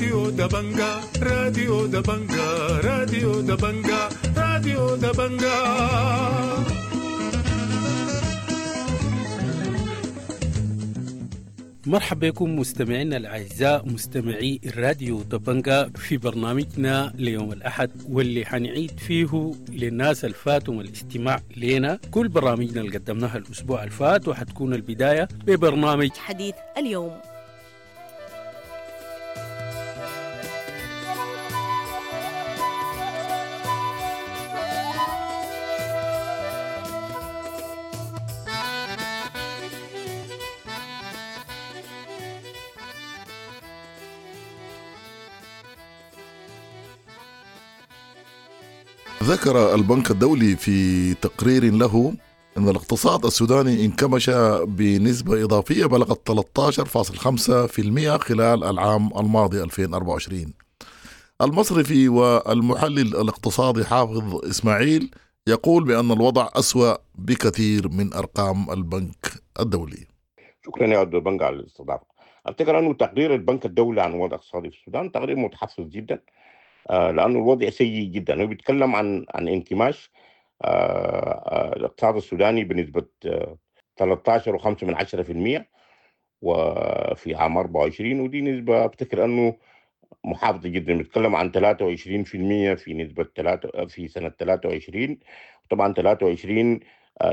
راديو دبنجا، راديو دبنجا، راديو دبنجا، راديو دبنجا. مرحبا بكم مستمعينا الأعزاء مستمعي الراديو دبنجا في برنامجنا ليوم الأحد، واللي حنعيد فيه للناس الفاتهم الاستماع لنا كل برامجنا اللي قدمناها الأسبوع الفات، وحتكون البداية ببرنامج حديث اليوم. ذكر البنك الدولي في تقرير له أن الاقتصاد السوداني انكمش بنسبة إضافية بلغت 13.5% خلال العام الماضي 2024. المصرفي والمحلل الاقتصادي حافظ إسماعيل يقول بأن الوضع أسوأ بكثير من أرقام البنك الدولي. شكرا يا عبد البنك على الاستضافة. أفتكر أنه تقرير البنك الدولي عن الوضع الاقتصادي في السودان تقرير متحفظ جدا، لأنه الوضع سيء جدا. هو بيتكلم عن انكماش الاقتصاد السوداني بنسبة 13.5% وفي عام 24، ودي نسبة أفتكر أنه محافظة جدا. بيتكلم عن 23% في نسبة 3 في سنة 23. طبعا 23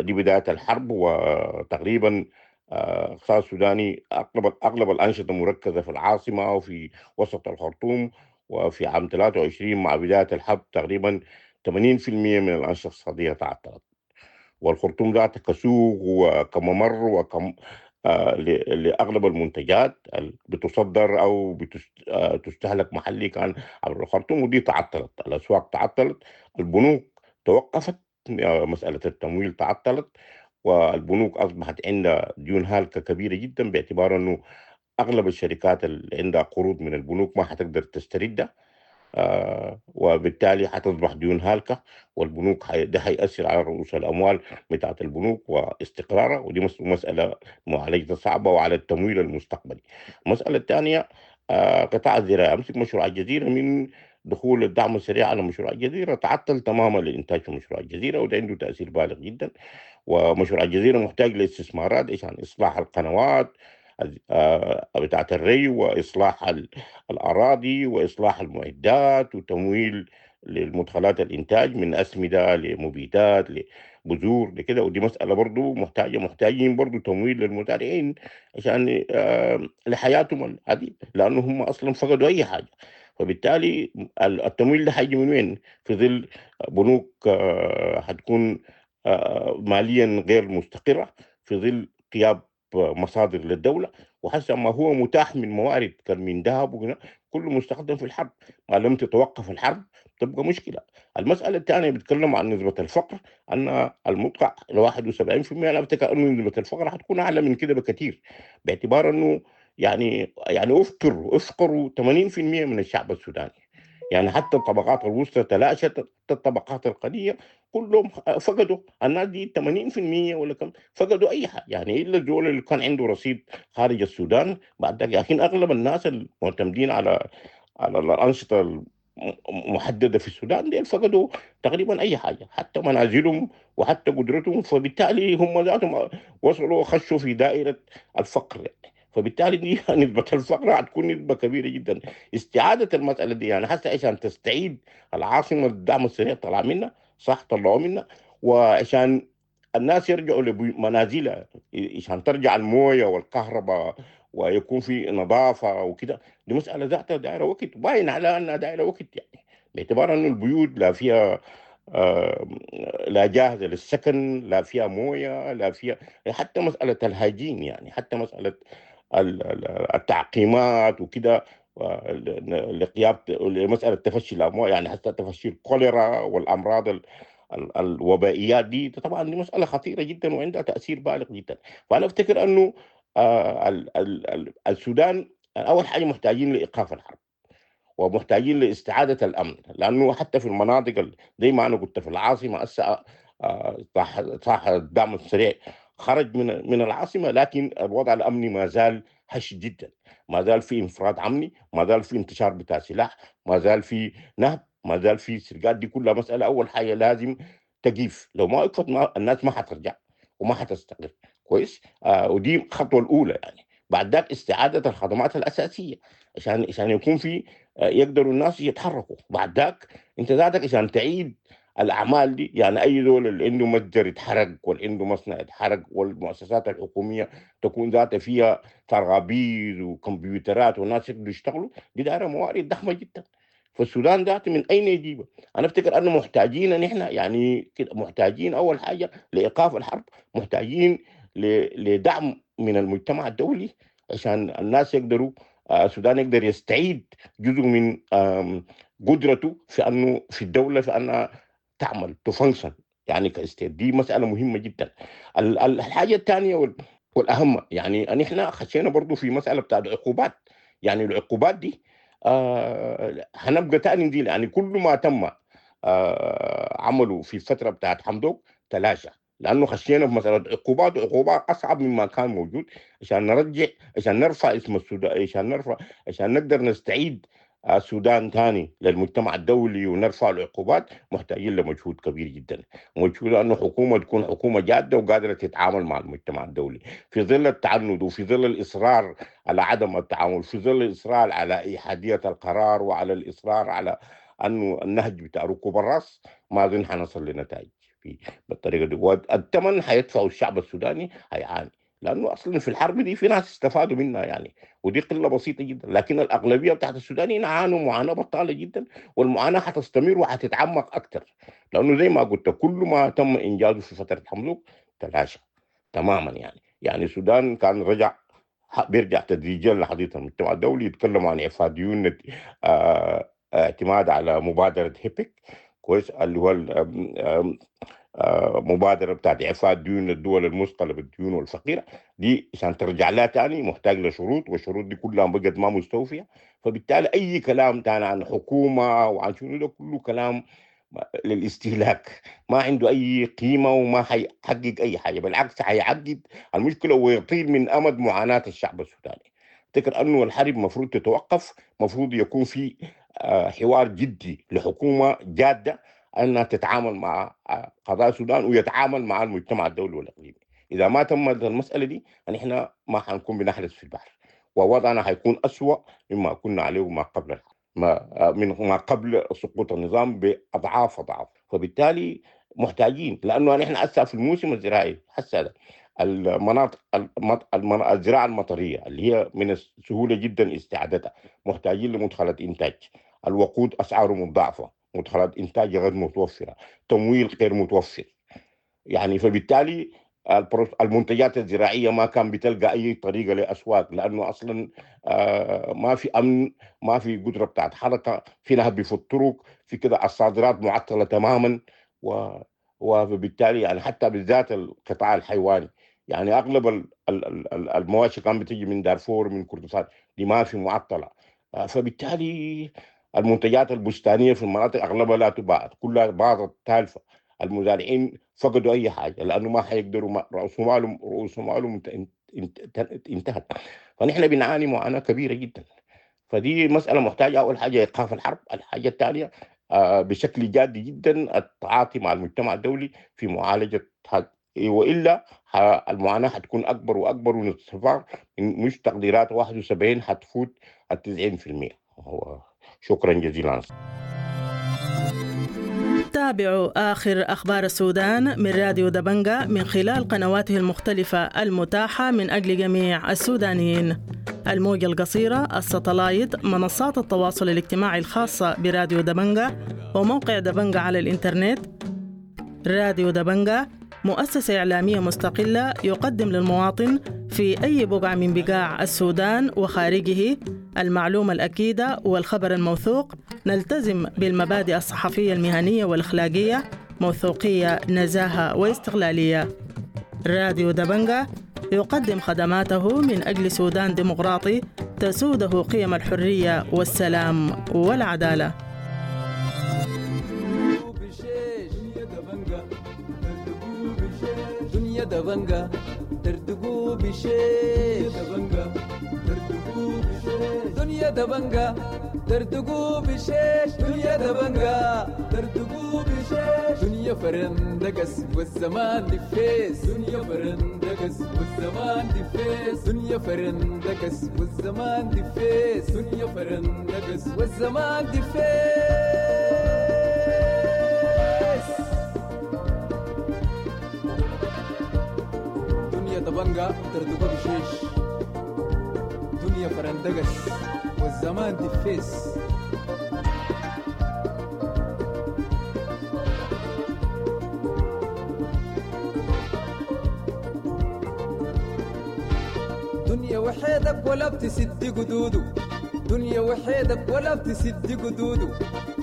دي بداية الحرب، وتقريبا الاقتصاد السوداني أغلب الأنشطة مركزة في العاصمة وفي وسط الخرطوم، وفي عام 23 مع بداية الحرب تقريبا 80% من الأنشطة الاقتصادية تعطلت، والخرطوم ذاتها كسوق وكممر وكم لأغلب المنتجات بتصدر أو بتستهلك محلي كان عبر الخرطوم، ودي تعطلت. الأسواق تعطلت، البنوك توقفت، مسألة التمويل تعطلت، والبنوك أصبحت عندها ديون هالكة كبيرة جدا، باعتبار أنه أغلب الشركات اللي عندها قروض من البنوك ما حتقدر تستردها، وبالتالي حتصبح ديون هالكة، والبنوك ده حيأثر على رؤوس الأموال بتاعة البنوك واستقرارها، ودي مسألة معالجة صعبة، وعلى التمويل المستقبلي. المسألة الثانية قطاع الزراعة. أمسك مشروع الجزيرة، من دخول الدعم السريع على مشروع الجزيرة تعطل تماما الإنتاج في مشروع الجزيرة، وده عنده تأثير بالغ جدا. ومشروع الجزيرة محتاج لاستثمارات عشان إصلاح القنوات بتاعة الري، وإصلاح الأراضي، وإصلاح المعدات، وتمويل للمدخلات الإنتاج من أسمدة لمبيدات لبذور لكده. ودي مسألة برضو محتاجين برضو تمويل للمزارعين عشان لحياتهم هذه، لأنه هم أصلا فقدوا أي حاجة. فبالتالي التمويل ده حيجي من وين؟ في ظل بنوك حتكون ماليا غير مستقرة، في ظل غياب مصادر للدولة، وحسب ما هو متاح من موارد كان من ذهب وكذا كله مستخدم في الحرب. ما لم تتوقف الحرب تبقى مشكلة. المسألة الثانية بيتكلم عن نسبة الفقر، أن المدقع ل 71%. أنا أفتكر أنه نسبة الفقر حتكون أعلى من كده بكثير، باعتبار أنه يعني أفقروا 80% من الشعب السوداني. يعني حتى الطبقات الوسطى تلاشت، حتى الطبقات القليلة كلهم فقدوا. الناس دي 80% ولا كم فقدوا أي حاجة، يعني إلا الدول اللي كان عنده رصيد خارج السودان بعد ذلك. لكن أغلب الناس المعتمدين على الأنشطة المحددة في السودان دي فقدوا تقريبا أي حاجة، حتى منازلهم وحتى قدرتهم. فبالتالي هم ذاتهم وصلوا خشوا في دائرة الفقر يعني. فبالتالي دي نسبة الفقر هتكون نسبة كبيرة جدا. استعادة المسألة دي يعني حتى عشان تستعيد العاصمة الدعم السريع طلع منها، صح طلعوا منها، وعشان الناس يرجعوا لمنازلها، عشان ترجع الموية والكهرباء ويكون في نظافة وكده، دي مسألة ذاتها دائرة وقت، باين على أنها دائرة وقت يعني، باعتبار أنه البيوت لا فيها لا جاهزة للسكن، لا فيها موية، لا فيها حتى مسألة الهاجين، يعني حتى مسألة التعقيمات وكده، لمسألة تفشي الأموال، يعني حتى تفشي الكوليرا والأمراض الوبائيات دي طبعا دي مسألة خطيرة جدا وعندها تأثير بالغ جدا. فأنا أفتكر أنه السودان أول حاجة محتاجين لإيقاف الحرب، ومحتاجين لاستعادة الأمن، لأنه حتى في المناطق زي ما أنا قلت في العاصمة هسه صح الدعم السريع خرج من العاصمة، لكن الوضع الأمني ما زال هش جدا، ما زال في انفراد امني، ما زال في انتشار بتاع سلاح، ما زال في نهب، ما زال في سرقات. دي كلها مسالة اول حاجة لازم تقيف، لو ما وقفت ما الناس ما حترجع وما حتستقر. كويس. ودي الخطوة الاولى يعني. بعد ذاك استعاده الخدمات الاساسية عشان يكون في يقدروا الناس يتحركوا. بعد ذاك انت ذاتك عشان تعيد الاعمال دي، يعني اي دول اللي عنده متجر يتحرق واللي عنده مصنع يتحرق والمؤسسات الحكومية تكون ذاتها فيها ترابيز وكمبيوترات والناس يقدروا يشتغلوا، دي دايرة موارد ضخمة جدا. فالسودان ذاته من اين يجيبها؟ انا افتكر انه محتاجين نحن يعني كده، محتاجين اول حاجة لايقاف الحرب، محتاجين لدعم من المجتمع الدولي عشان الناس يقدروا، السودان يقدر يستعيد جزء من قدرته في انه في الدولة في انها تعمل ت function يعني ك state. دي مسالة مهمة جدا. الحاجة الثانية والاهم، يعني ان احنا خشينا برضو في مسالة بتاعت عقوبات، يعني العقوبات دي هنبقى تاني نزيل، يعني كل ما تم عمله في الفترة بتاعت حمدوك تلاشى، لانه خشينا في مسالة عقوبات، وعقوبات اصعب مما كان موجود عشان نرجع، عشان نرفع اسم السودان، عشان نرفع، عشان نقدر نستعيد السودان ثاني للمجتمع الدولي ونرفع العقوبات. محتاجين لمجهود كبير جدا، مجهود انه حكومة تكون حكومة جاده وقادرة تتعامل مع المجتمع الدولي في ظل التعنت وفي ظل الاصرار على عدم التعامل، في ظل الاصرار على احادية القرار وعلى الاصرار على انه النهج بتاع ركوب الراس. ما اظن حنصل لنتائج في بالطريقة دي، والثمن حيدفعه الشعب السوداني هيعاني، لانه اصلا في الحرب دي في ناس استفادوا منها يعني، ودي قلة بسيطة جدا، لكن الاغلبية بتاعت السودانيين عانوا معاناة بطاله جدا، والمعاناة حتستمر وحتتعمق اكثر، لانه زي ما قلت كل ما تم انجازه في فترة حمدوك تلاشى تماما. يعني السودان كان رجع بيرجع تدريجيا لحديث المجتمع الدولي، يتكلموا عن اعفاء ديون، اعتماد على مبادرة هيبك، كويس، اللي هو مبادرة بتاعت اعفاء ديون الدول المثقله بالديون والفقيره دي، عشان ترجع لها تاني محتاج لشروط، والشروط دي كلها بقت ما مستوفيه. فبالتالي اي كلام تاني عن حكومة وعن شنو ده كله كلام للاستهلاك، ما عنده اي قيمة وما حيحقق اي حاجة، بالعكس حيعقد المشكلة ويطيل من امد معاناة الشعب السوداني. افتكر انه الحرب مفروض تتوقف، مفروض يكون في حوار جدي لحكومة جاده انها تتعامل مع قضايا السودان ويتعامل مع المجتمع الدولي والاقليمي. اذا ما تمت المسالة دي نحن ما حنكون بنحرس في البحر، ووضعنا حيكون اسوأ مما كنا عليه ما قبل الحرب، ما من ما قبل سقوط النظام باضعاف اضعاف. فبالتالي محتاجين، لانه نحن هسه في الموسم الزراعي هسه ده المناطق الزراعة المطريه اللي هي من السهولة جدا استعادتها، محتاجين لمدخلات انتاج، الوقود اسعاره مضاعفه، مدخلات انتاج غير متوفرة، تمويل غير متوفر، يعني فبالتالي المنتجات الزراعية ما كان بتلقى اي طريقه لاسواق، لانه اصلا ما في امن، ما في قدره بتاعت حركة، في نهب في الطرق، في كده الصادرات معطلة تماما، وبالتالي يعني حتى بالذات القطاع الحيواني، يعني اغلب المواشي كان بتيجي من دارفور من كردفان، دي ما في معطلة، فبالتالي المنتجات البستانيه في المناطق اغلبها لا تباع، كلها باظت تالفه، المزارعين فقدوا اي حاجة لانه ما حيقدروا، رؤوس مالهم انتهت. فنحن بنعاني معاناة كبيرة جدا. فدي مسالة محتاجه اول حاجة ايقاف الحرب، الحاجة الثانية بشكل جاد جدا التعاطي مع المجتمع الدولي في معالجة، والا المعاناة حتكون اكبر واكبر، ونتفق مش تقديرات 71 حتفوت ال 90%. هو شكرا جزيلا. تابعوا آخر أخبار السودان من راديو دبنجة من خلال قنواته المختلفة المتاحة من أجل جميع السودانيين: الموجة القصيرة، الستلايت، منصات التواصل الاجتماعي الخاصة براديو دبنجة، وموقع دبنجة على الإنترنت. راديو دبنجة مؤسسة إعلامية مستقلة يقدم للمواطن في أي بقعة من بقاع السودان وخارجه المعلومة الأكيدة والخبر الموثوق. نلتزم بالمبادئ الصحفية المهنية والأخلاقية، موثوقية، نزاهة واستقلالية. راديو دبنجة يقدم خدماته من أجل سودان ديمقراطي تسوده قيم الحرية والسلام والعدالة. دنيا دبنجة دردقوا بشيش، دنيا دبنجة. دنيا دبنجا دردقو بشيش، دنيا دبنجا دردقو بشيش، دنيا فرندقس والزمان دفيس، دنيا فرندقس والزمان دفيس، دنيا فرندقس والزمان دفيس، دنيا فرندقس والزمان دفيس. دنيا دبنجا دردقو بشيش، دنيا فرندقس والزمان دفيس. دنيا وحيدك ولا بتسد قدوده، دنيا وحيدك ولا بتسد قدوده،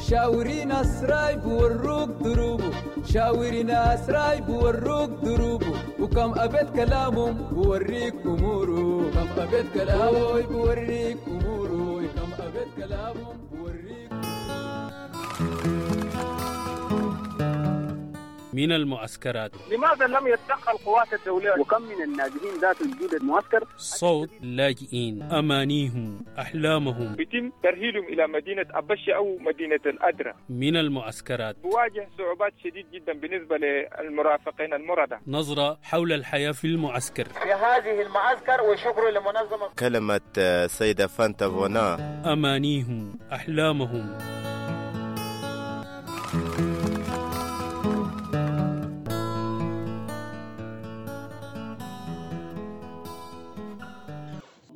شاوري ناس رايب وروك دروبه، شاوري ناس رايب وروك دروبه، وكم أبيت كلامهم بوريك أموره، كم أبيت كلامه بوريك أموره، كم أبيت كلامهم بوريك. من المعسكرات، لماذا لم يتدخل القوات الدولية؟ وكم من النازحين ذات وجود المعسكر؟ صوت لاجئين، أمانيهم، أحلامهم، يتم ترهيلهم إلى مدينة أبشي أو مدينة الأدرة. من المعسكرات بواجه صعوبات شديد جدا بالنسبة للمرافقين المرضى. نظرة حول الحياة في المعسكر، في هذه المعسكر، وشكر لمنظمة. كلمة سيدة فانتا فونا، أمانيهم، أحلامهم.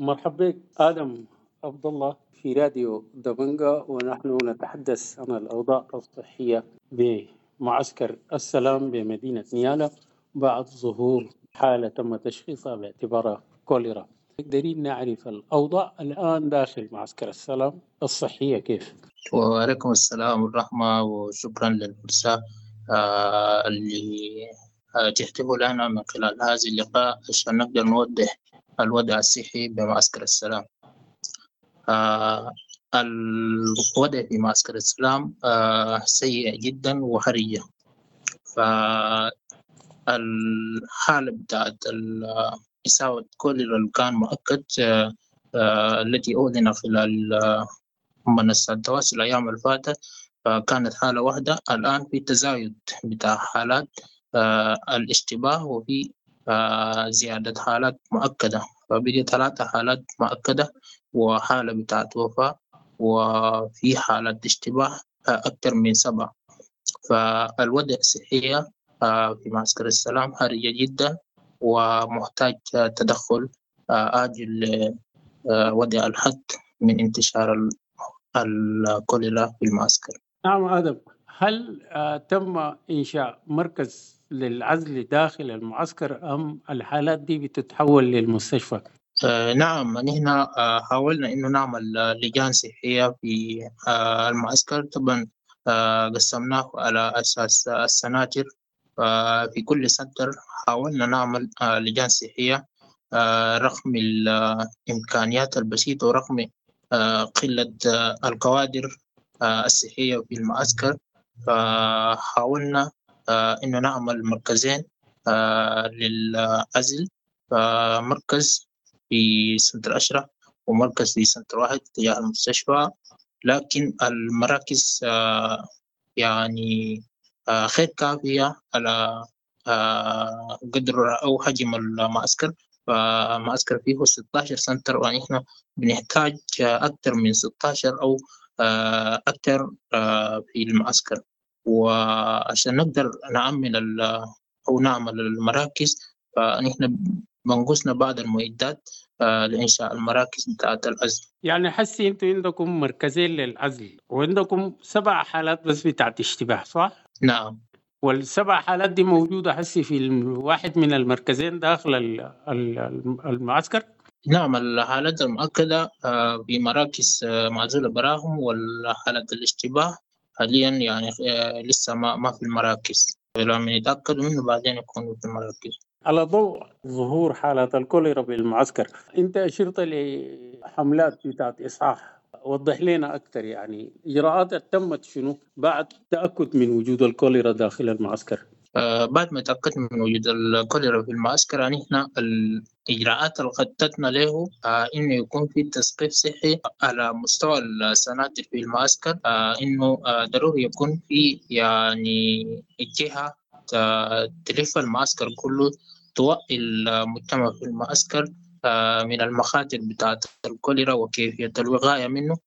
مرحبا بك آدم عبد الله في راديو دبنجا، ونحن نتحدث عن الأوضاع الصحية بمعسكر السلام بمدينة نيالا بعد ظهور حالة تم تشخيصها باعتبارها كوليرا. قدرين نعرف الأوضاع الآن داخل معسكر السلام الصحية كيف؟ وعليكم السلام والرحمة، وشكرا للفرصة اللي تحتفوا لنا من خلال هذا اللقاء عشان نقدر نوضح الوضع الصحي بمعسكر السلام. الوضع في معسكر السلام سيء جدا وحرجة. فالحالة بتاعت إصابة كوليرا اللي كان مؤكد التي أعلن خلال منصات التواصل الأيام الفاتت فكانت حالة واحدة. الآن في تزايد بتاع حالات الاشتباه، وفي زيادة حالات مؤكدة، فبقي 3 حالات مؤكدة وحالة بتاعت وفاة، وفي حالة اشتباه أكثر من 7. فالوضع الصحي في معسكر السلام حرجة جدا ومحتاج تدخل عاجل لوضع الحد من انتشار الكوليرا في المعسكر. نعم آدم، هل تم إنشاء مركز للعزل داخل المعسكر أم الحالات دي بتتحول للمستشفى؟ نعم، نحن حاولنا إنه نعمل لجان صحية في المعسكر. طبعا قسمناه على أساس السناتر، في كل سنتر حاولنا نعمل لجان صحية رغم الإمكانيات البسيطة ورغم قلة الكوادر الصحية في المعسكر. فحاولنا إنه نعمل مركزين للعزل، فمركز في سنتر أشرف ومركز في سنتر 1 تجاه المستشفى. لكن المراكز يعني غير كافية على قدر أو حجم المعسكر. فمعسكر فيه 16 سنتر، ونحن بنحتاج أكثر من 16 أو أكثر في المعسكر. وعشان نقدر نعمل أو نعمل المراكز فنحن بنقصنا بعض المعدات لإنشاء المراكز بتاعت العزل. يعني حسي أنتوا عندكم مركزين للعزل وعندكم 7 حالات بس بتاعت اشتباه، صح؟ نعم. وال7 حالات دي موجودة حسي في واحد من المركزين داخل المعسكر؟ نعم، الحالات المؤكدة في مراكز معزولة براهم، والحالات الاشتباه حاليا يعني لسه ما في المراكز، لما يتأكدوا منه بعدين يكونوا في المراكز. على ضوء ظهور حالات الكوليرا بالمعسكر، أنت أشرت لحملات بتاعت إصحاح، وضح لنا أكثر يعني إجراءات تمت شنو بعد تأكد من وجود الكوليرا داخل المعسكر؟ بعد ما تأكدنا من وجود الكوليرا في المعسكر، يعني إحنا الإجراءات اللي خططنا له إنه يكون في تثقيف صحي على مستوى السناتر في المعسكر، إنه ضروري يكون في يعني جهة تلف المعسكر كله، توعي المجتمع في المعسكر من المخاطر بتاعة الكوليرا وكيفية الوقاية منه.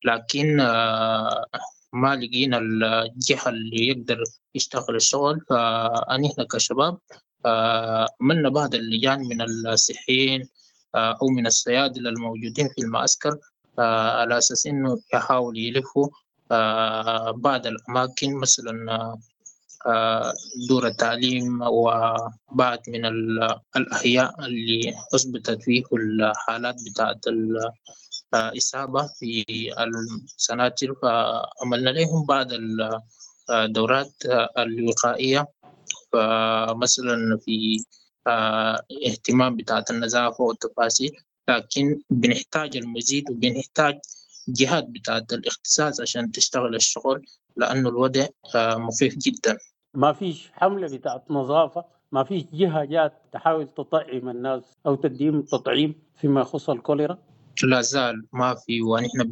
لكن ما لقينا الجهة اللي يقدر يشتغل الشغل، فنحن كشباب عملنا بعض اللجان من الصحيين أو من الصيادلة الموجودين في المعسكر على أساس إنه يحاول يلفوا بعض الأماكن، مثلا دور التعليم وبعض من الأحياء اللي أثبتت فيه الحالات بتاعت الإصابة في السناتر، فعملنا لهم بعض الدورات الوقائية، فمثلا في اهتمام بتاعت النظافة والتفاصيل. لكن بنحتاج المزيد وبنحتاج جهات بتاعت الاختصاص عشان تشتغل الشغل، لأنه الوضع مخيف جدا. ما فيش حملة بتاعت نظافة، ما فيش جهة جات تحاول تطعم الناس أو تديهم تطعيم فيما يخص الكوليرا؟ لا زال ما في، ونحن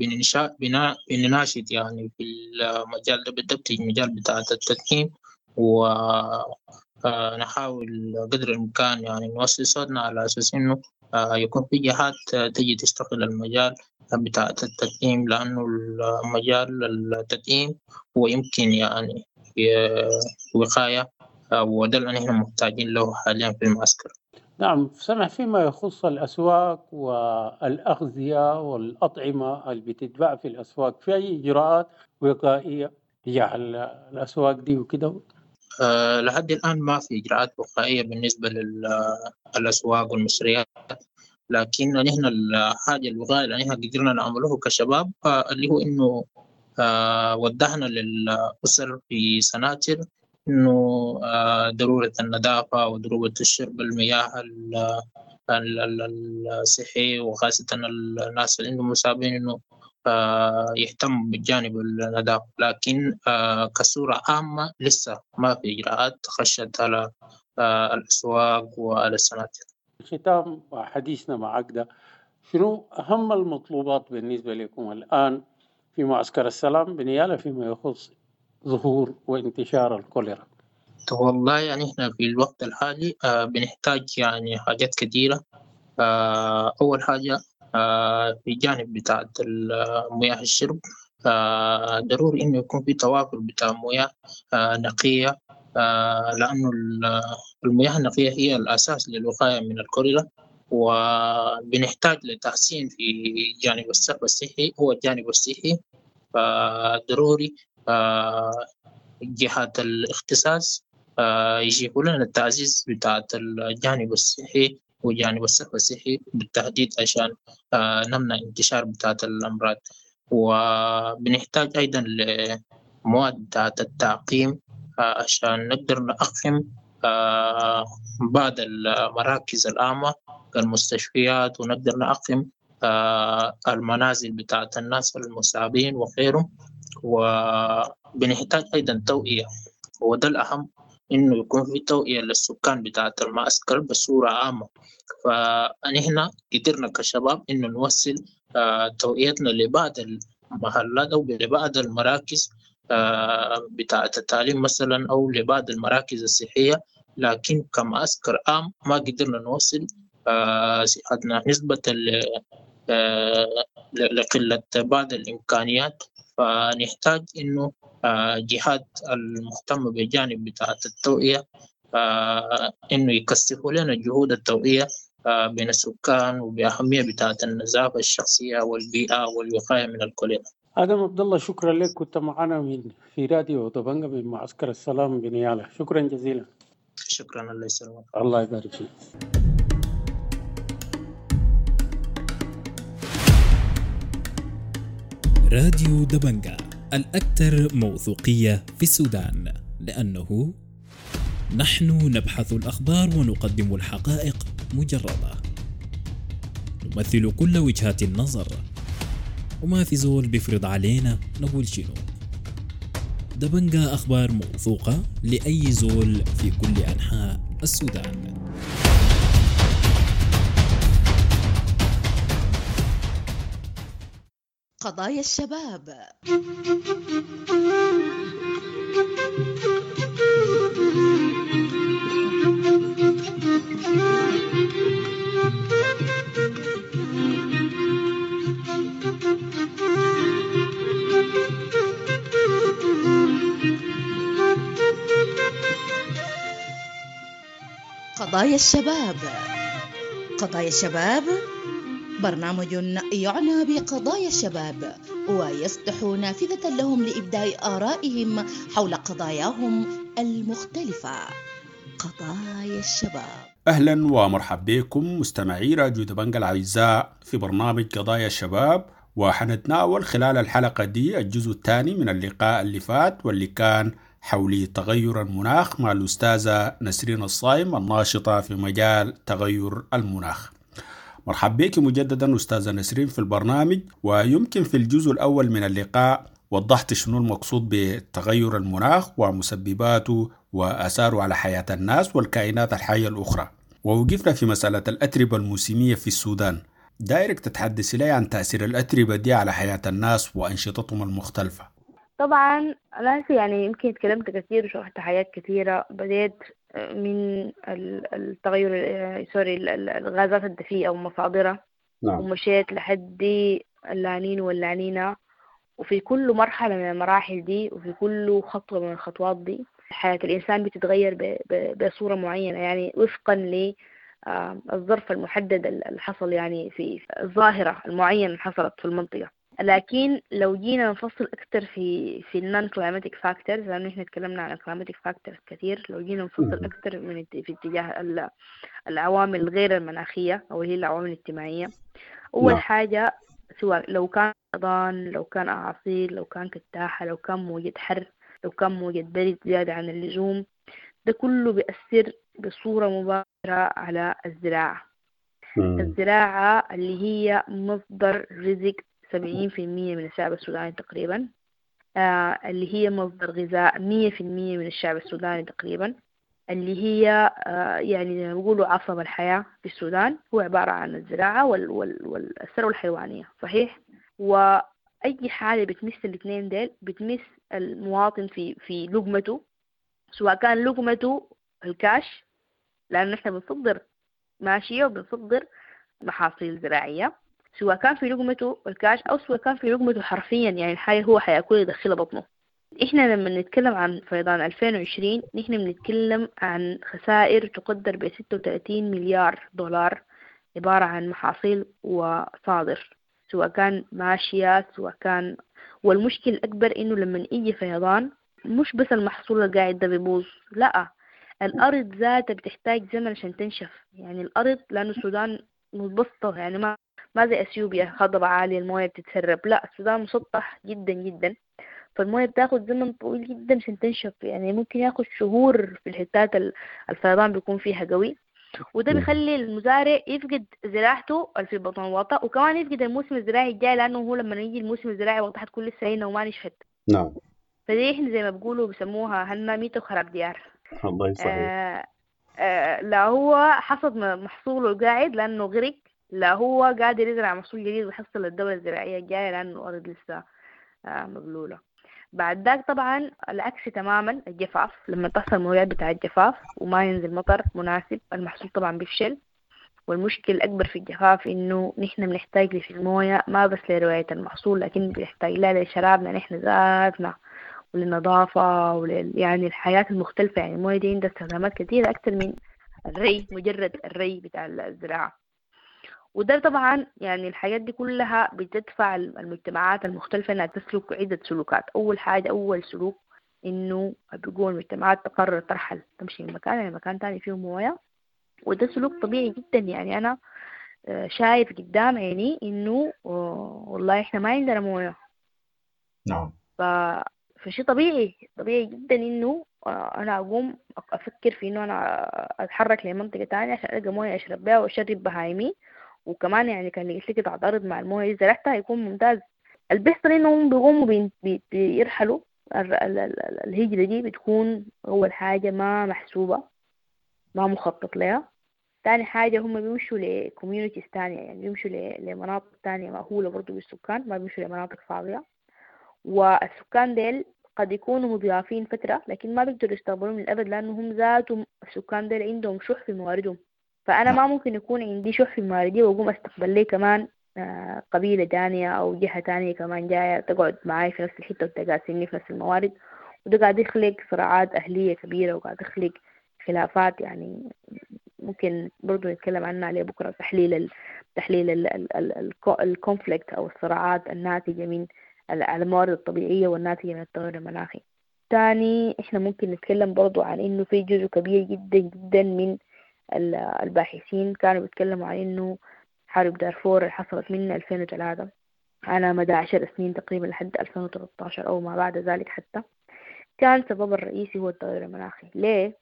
بنناشد يعني في المجال ده بالضبط، المجال بتاع التدعيم، ونحاول قدر الإمكان يعني نوصل صوتنا على أساس إنه يكون في جهات تجي تشتغل المجال بتاع التدعيم، لأنه المجال التدعيم هو يمكن يعني وقاية، وده اللي نحن محتاجين له حاليا في المعسكر. نعم سمح، فيما يخص الأسواق والأغذية والأطعمة اللي بتتباع في الأسواق، في أي إجراءات وقائية تجاه الأسواق دي وكده؟ لحد الآن ما في إجراءات وقائية بالنسبة للأسواق والمشتريات، لكن نحن الحاجة الوقائية اللي نحن قدرنا نعمله كشباب اللي هو إنه وضحنا للأسر في سناتر إنه ضرورة النظافة وضرورة الشرب المياه الصحي، وخاصة الناس اللي عندهم مصابين إنه يهتم بالجانب النظافة. لكن كصورة عامة لسه ما في إجراءات خشت على الأسواق وعلى السناتر. ختام حديثنا معك ده، شنو أهم المطلوبات بالنسبة لكم الآن في معسكر السلام بنيالا فيما يخص ظهور وانتشار الكوليرا؟ والله يعني احنا في الوقت الحالي بنحتاج يعني حاجات كثيرة. أول حاجة في جانب بتاعة مياه الشرب، ضروري إنه يكون في توافر بتاع مياه نقية، لأنه المياه النقية هي الأساس للوقاية من الكوليرا. وبنحتاج لتحسين في جانب الصرف الصحي، هو الجانب الصحي، فضروري جهات الاختصاص يجيبوا لنا التعزيز بتاعة الجانب الصحي وجانب الصرف الصحي بالتحديد عشان نمنع انتشار بتاعة الأمراض. وبنحتاج أيضا لمواد بتاعة التعقيم عشان نقدر نعقم بعض المراكز العامة كالمستشفيات، ونقدر نعقم المنازل بتاعة الناس المصابين وغيرهم. وبنحتاج أيضا توعية، وده الأهم إنه يكون في توعية للسكان بتاعة المعسكر بصورة عامة. فنحن قدرنا كشباب إنه نوصل توعيتنا لبعض المحلات أو لبعض المراكز بتاعة التعليم مثلا أو لبعض المراكز الصحية، لكن كمعسكر عام ما قدرنا نوصل صحتنا نسبة لقلة بعض الإمكانيات. فنحتاج إنه جهات المهتمة بجانب بتاعة التوعية إنه يكثفوا لنا جهود التوعية بين السكان وبأهمية بتاعة النظافة الشخصية والبيئة والوقاية من الكوليرا. آدم عبد الله، شكرا لك، كنت معنا من في راديو دبنجة من معسكر السلام بنيالا. شكرا جزيلا. شكرا، الله يسلمك. الله يبارك فيك. راديو دبنجة الأكثر موثوقية في السودان، لأنه نحن نبحث الأخبار ونقدم الحقائق مجردة، نمثل كل وجهات النظر، وما في زول بيفرض علينا نقول شنو. دبنجة أخبار موثوقة لأي زول في كل أنحاء السودان. قضايا الشباب. قضايا الشباب. قضايا الشباب برنامج يعنى بقضايا الشباب ويفتح نافذة لهم لإبداء آرائهم حول قضاياهم المختلفة. قضايا الشباب. أهلا ومرحبا بكم مستمعي راديو دبنجا الأعزاء في برنامج قضايا الشباب، وحنتناول خلال الحلقة دي الجزء الثاني من اللقاء اللي فات واللي كان حول تغير المناخ مع الأستاذة نسرين الصايم الناشطة في مجال تغير المناخ. مرحبا بك مجددا أستاذة نسرين في البرنامج. ويمكن في الجزء الأول من اللقاء وضحت شنو المقصود بتغير المناخ ومسبباته وآثاره على حياة الناس والكائنات الحية الأخرى، ووقفنا في مسألة الأتربة الموسمية في السودان. دايرك تتحدث لي عن تأثير الأتربة دي على حياة الناس وأنشطتهم المختلفة. طبعا أنا يعني يمكن تكلمت كثير وشرحت حاجات كثيرة. بديت من التغير sorry الغازات الدفيئة ومصادرها. نعم. ومشيت لحد اللانين واللانينا، وفي كل مرحلة من المراحل دي وفي كل خطوة من الخطوات دي حياة الإنسان بتتغير بصورة معينة، يعني وفقا للظرف المحدد اللي حصل، يعني في الظاهرة المعينة اللي حصلت في المنطقة. لكن لو جينا نفصل أكتر في ال non climatic factors، لأنه إحنا تكلمنا عن climatic factors كثير، لو جينا نفصل أكتر من في اتجاه العوامل غير المناخية أو هي العوامل الاجتماعية. أول حاجة سواء لو كان فيضان، لو كان أعاصير، لو كان كتاحة، لو كان موجة حر، لو كان موجة برد زيادة عن اللزوم، ده كله بيأثر بصورة مباشرة على الزراعة. الزراعة اللي هي مصدر رزق 70% من الشعب السوداني تقريبا، اللي هي مصدر غذاء 100% من الشعب السوداني تقريبا، اللي هي يعني زي ما بيقولوا عصب الحياة في السودان، هو عبارة عن الزراعة والثروة الحيوانية. صحيح؟ وأي حاجة بتمس الاثنين ديل بتمس المواطن في لقمته، سواء كان لقمته الكاش، لأنه إحنا بنصدر ماشية وبنصدر محاصيل زراعية، سواء كان في لقمته الكاش أو سواء كان في لقمته حرفيا، يعني الحاجة هو حياكل يدخلها بطنه. إحنا لما نتكلم عن فيضان 2020 نحن بنتكلم عن خسائر تقدر ب 36 مليار دولار، عبارة عن محاصيل وصادر، سواء كان ماشية سواء كان. والمشكل الأكبر إنه لما يجي فيضان مش بس المحصول القاعد ده بيبوظ، لا، الأرض ذاتها بتحتاج زمن عشان تنشف. يعني الأرض، لأنه السودان متبسطة، يعني ما زي أثيوبيا هضبة عالية الموية بتتسرب، لا، السودان مسطح جدا جدا، فالموية بتاخد زمن طويل جدا عشان تنشف، يعني ممكن ياخد شهور في الحتات الفيضان بيكون فيها قوي، وده بيخلي المزارع يفقد زراعته في بطن الوطا، وكمان يفقد الموسم الزراعي الجاي، لأنه هو لما يجي الموسم الزراعي وقتها حتكون لسه هنا وما نشفت. نعم. فدي احنا زي ما بيقولوا بيسموها هنا ميتة وخراب ديار. الله صحيح. لا هو حصد محصوله قاعد لأنه غرق، لا هو قادر يزرع محصول جديد ويحصل الدولة الزراعية الجاية لأنه الأرض لسه مبلولة. بعد ذاك طبعا العكس تماما، الجفاف، لما تحصل موجات بتاع الجفاف وما ينزل مطر مناسب المحصول طبعا بيفشل. والمشكلة الأكبر في الجفاف إنه نحن بنحتاج في الموية ما بس لرواية المحصول، لكن بنحتاج لها لشرابنا نحن ذاتنا وللنظافة يعني الحياة المختلفة. يعني الموية دي عندها استخدامات كثيرة أكثر من الري، مجرد الري بتاع الزراعة. وده طبعا يعني الحاجات دي كلها بتدفع المجتمعات المختلفة انها تسلك عدة سلوكات. اول حاجة، اول سلوك انه بيقول المجتمعات تقرر ترحل، تمشي من مكان لمكان مكان تاني فيه موية، وده سلوك طبيعي جدا. يعني انا شايف قدام عيني انه والله احنا ما عندنا موية. نعم. فشي طبيعي طبيعي جدا انه انا اقوم افكر في انه انا اتحرك لمنطقة تانية عشان القى موية اشرب بها واشرب بهايمي، وكمان يعني كان لقيت لي قطعة أرض مع الموية زرعتها يكون ممتاز. اللي بيحصل إنهم بيقوموا بيرحلوا. الهجرة دي بتكون أول حاجة ما محسوبة، ما مخطط لها. تاني حاجة هم بيمشوا ل communities تانية، يعني بيمشوا لمناطق تانية مأهولة برضو بالسكان، ما بيمشوا لمناطق فاضية. والسكان ديل قد يكونوا مضيافين فترة لكن ما بيقدروا يستقبلوهم للأبد، لأنه هم ذاتهم السكان ديل عندهم شح في مواردهم. فأنا ما ممكن يكون عندي شح في مواردي وأقوم أستقبل لي كمان قبيلة تانية أو جهة تانية كمان جاية تقعد معاي في نفس الحتة وتقاسمني في نفس الموارد. وده قاعد يخلق صراعات أهلية كبيرة وقاعد يخلق خلافات، يعني ممكن برضو نتكلم عنها عليه بكرة، تحليل ال conflict أو الصراعات الناتجة من الموارد الطبيعية والناتجة من التغير المناخي. تاني إحنا ممكن نتكلم برضو عن إنه في جزء كبير جدا جدا من الباحثين كانوا بيتكلموا عن إنه حرب دارفور اللي حصلت من 2003 على مدى 10 سنين تقريبا لحد 2013 أو ما بعد ذلك حتى، كان سبب الرئيسي هو التغير المناخي. ليه؟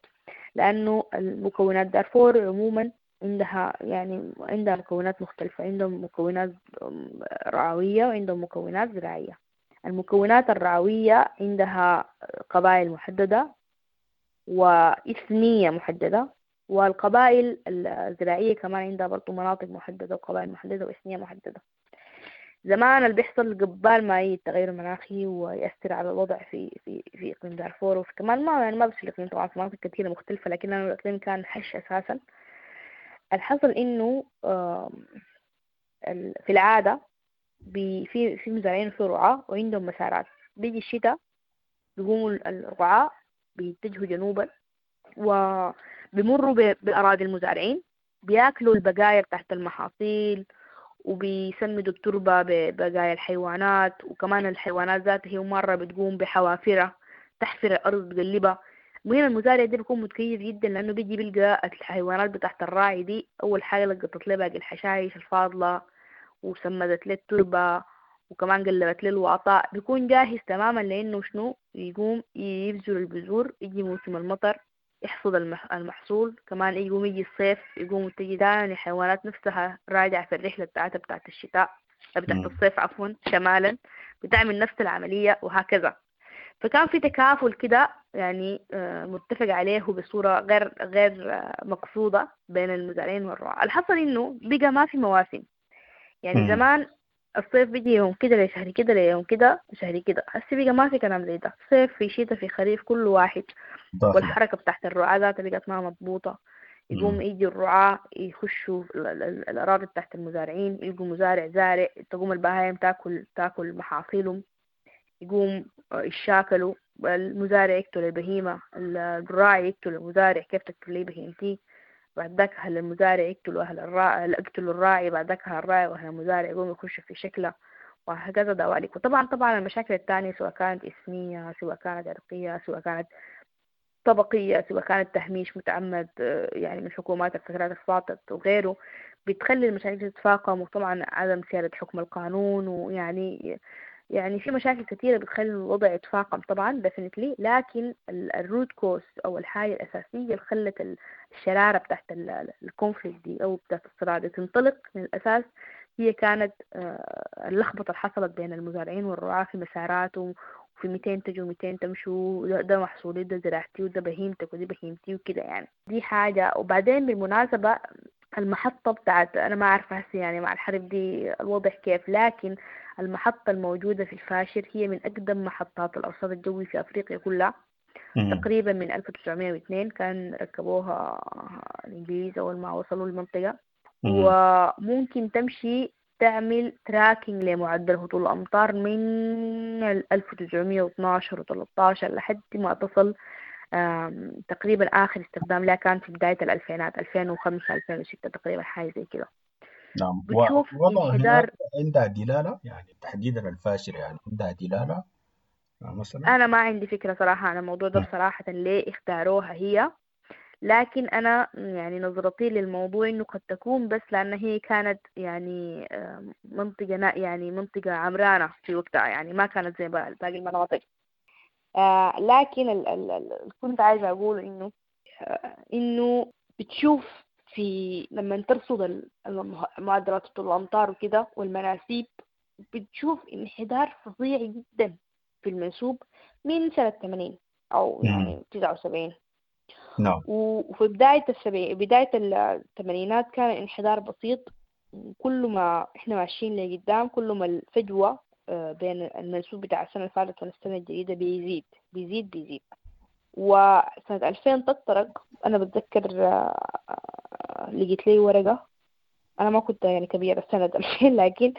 لأنه المكونات دارفور عموما عندها يعني عندها مكونات مختلفة، عندهم مكونات رعوية وعندهم مكونات زراعية. المكونات الرعوية عندها قبائل محددة وإثنية محددة، والقبائل الزراعية كمان عندها برضو مناطق محددة وقبائل محددة وإثنية محددة. زمان اللي بيحصل قبال ما يجي التغير المناخي ويأثر على الوضع في في في إقليم دارفور، وفي كمان ما يعني ما بس في الإقليم، طبعا في مناطق كثيرة مختلفة، لكن الإقليم كان هش أساسا. الحصل إنه في العادة في مزارعين وفي رعاة وعندهم مسارات. بيجي الشتاء بيقوموا الرعاة بيتجهوا جنوبا وبيمروا بأراضي المزارعين، بياكلوا البقايا تحت المحاصيل وبيسمدوا التربة ببقايا الحيوانات، وكمان الحيوانات ذاتها هي مرة بتقوم بحوافرها تحفر الأرض بتقلبها. المهم المزارع ده بيكون متكيف جدا لأنه بيجي بيلقى الحيوانات بتاعت الراعي دي أول حاجة لقطت له باقي الحشائش الفاضلة وسمدت له التربة وكمان قلبت له الوعطاء. بيكون جاهز تماما لأنه شنو يقوم يبذر البذور، يجي موسم المطر يحصد المحصول، كمان يقوم يجي الصيف يقوم تجي تاني الحيوانات نفسها راجعة في الرحلة بتاعتها بتاعت الشتاء بتاعت الصيف عفوا شمالا، بتعمل نفس العملية وهكذا. فكان في تكافل كده يعني متفق عليه بصورة غير مقصودة بين المزارعين والرعاة. الحصل إنه بقى ما في مواسم، يعني زمان الصيف بيجي يوم كده لشهر كده ليوم كده شهر كده، هسه بقى ما في كلام زي ده، صيف في شتاء في خريف كل واحد. والحركة بتاعت الرعاة ذاتها بقت ما مضبوطة. يقوم يجي الرعاة يخشوا الأراضي بتاعت المزارعين، يلقوا مزارع زارع، تقوم البهايم تاكل محاصيلهم، يقوم يشاكلوا، المزارع يقتل البهيمة، الراعي يقتل المزارع، كيف تقتل لي بهيمتي؟ بعد ذاك أهل المزارع يقتلوا أهل الراعي، يقتلوا الراعي، بعد ذاك أهل الراعي وأهل المزارع يقوموا يخشوا في شكله وهكذا دواليك. وطبعا طبعا المشاكل الثانية سواء كانت اسمية سواء كانت عرقية سواء كانت طبقية سواء كانت تهميش متعمد يعني من حكومات الفترات الفاتت وغيره، بتخلي المشاكل تتفاقم. وطبعا عدم سيادة حكم القانون، ويعني يعني في مشاكل كثيرة بتخلي الوضع يتفاقم طبعا definitely. لكن ال root cause أو الحاجة الأساسية اللي خلت الشرارة بتاعت ال conflict دي أو بتاعت الصراع دي تنطلق من الأساس هي كانت اللخبطة اللي حصلت بين المزارعين والرعاة في مساراتهم، وفي 200 تجوا 200 تمشوا، ده محصولي ده زراعتي وده بهيمتك ودي بهيمتي وكده، يعني دي حاجة. وبعدين بالمناسبة المحطة بتاعت أنا ما عارفة هسه يعني مع الحرب دي الوضع كيف، لكن المحطة الموجودة في الفاشر هي من أقدم محطات الأرصاد الجوي في أفريقيا كلها. تقريبا من 1902 كان ركبوها الإنجليز أول ما وصلوا المنطقة. وممكن تمشي تعمل tracking لمعدل هطول الأمطار من 1912 و13 لحد ما تصل تقريبا آخر استخدام لها كان في بداية الألفينات 2005 2006 تقريبا، حاجة زي كده. نعم. بتشوف وضع هناك عندها دلالة، يعني تحديدا الفاشر يعني عندها دلالة مثلا. أنا ما عندي فكرة صراحة عن الموضوع ده بصراحة ليه اختاروها هي، لكن أنا يعني نظرتي للموضوع إنه قد تكون بس لأن هي كانت يعني منطقة يعني منطقة عمرانة في وقتها، يعني ما كانت زي باقي المناطق. لكن كنت عايزة أقول إنه بتشوف في لما ترصد معدلات هطول الأمطار وكده والمناسيب، بتشوف انحدار فظيع جدا في المنسوب من سنة 80 أو يعني 79. نعم. وفي بداية الثمانينات كان الانحدار بسيط. كل ما احنا ماشيين لقدام كل ما الفجوة بين المنسوب بتاع السنة اللي فاتت والسنة الجديدة بيزيد بيزيد بيزيد. وسنة 2000 تطرق، أنا بتذكر لقيت لي ورقة، أنا ما كنت يعني كبيرة سنة 2000، لكن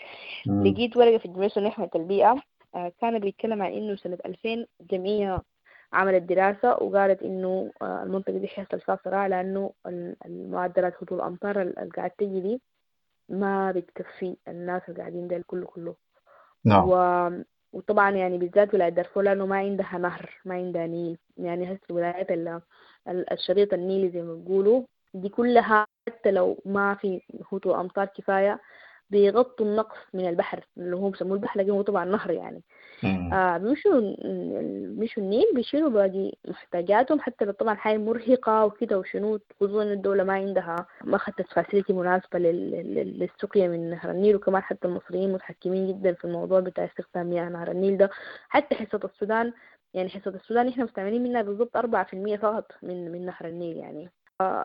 لقيت ورقة في الجمعية السودانية للبيئة كان بيتكلم عن إنه سنة 2000 الجمعية عملت دراسة وقالت إنه المنطقة دي حيحصل فيها صراع، لأنه المعدلات هطول الأمطار اللي قاعد تجي دي ما بتكفي الناس اللي قاعدين ده كله كله. نعم. وطبعا يعني بالذات ولاية دارفور لأنه ما عندها نهر، ما عندها نيل، يعني هسه الولايات الشريط النيلي زي ما بيقولوا دي كلها حتى لو ما في هطول أمطار كفاية بيغطوا النقص من البحر اللي هو بيسموه البحر، لكن هو طبعا نهر يعني. بيمشوا النيل بيشيلوا باقي محتاجاتهم، حتى لو طبعا حاجة مرهقة وكده وشنو، خصوصا إن الدولة ما عندها، ما خدت فاسيلتي مناسبة للسقيا من نهر النيل. وكمان حتى المصريين متحكمين جدا في الموضوع بتاع استخدام مياه نهر النيل ده. حتى حصة السودان، يعني حصة السودان احنا مستعملين منها بالضبط 4% فقط من نهر النيل يعني.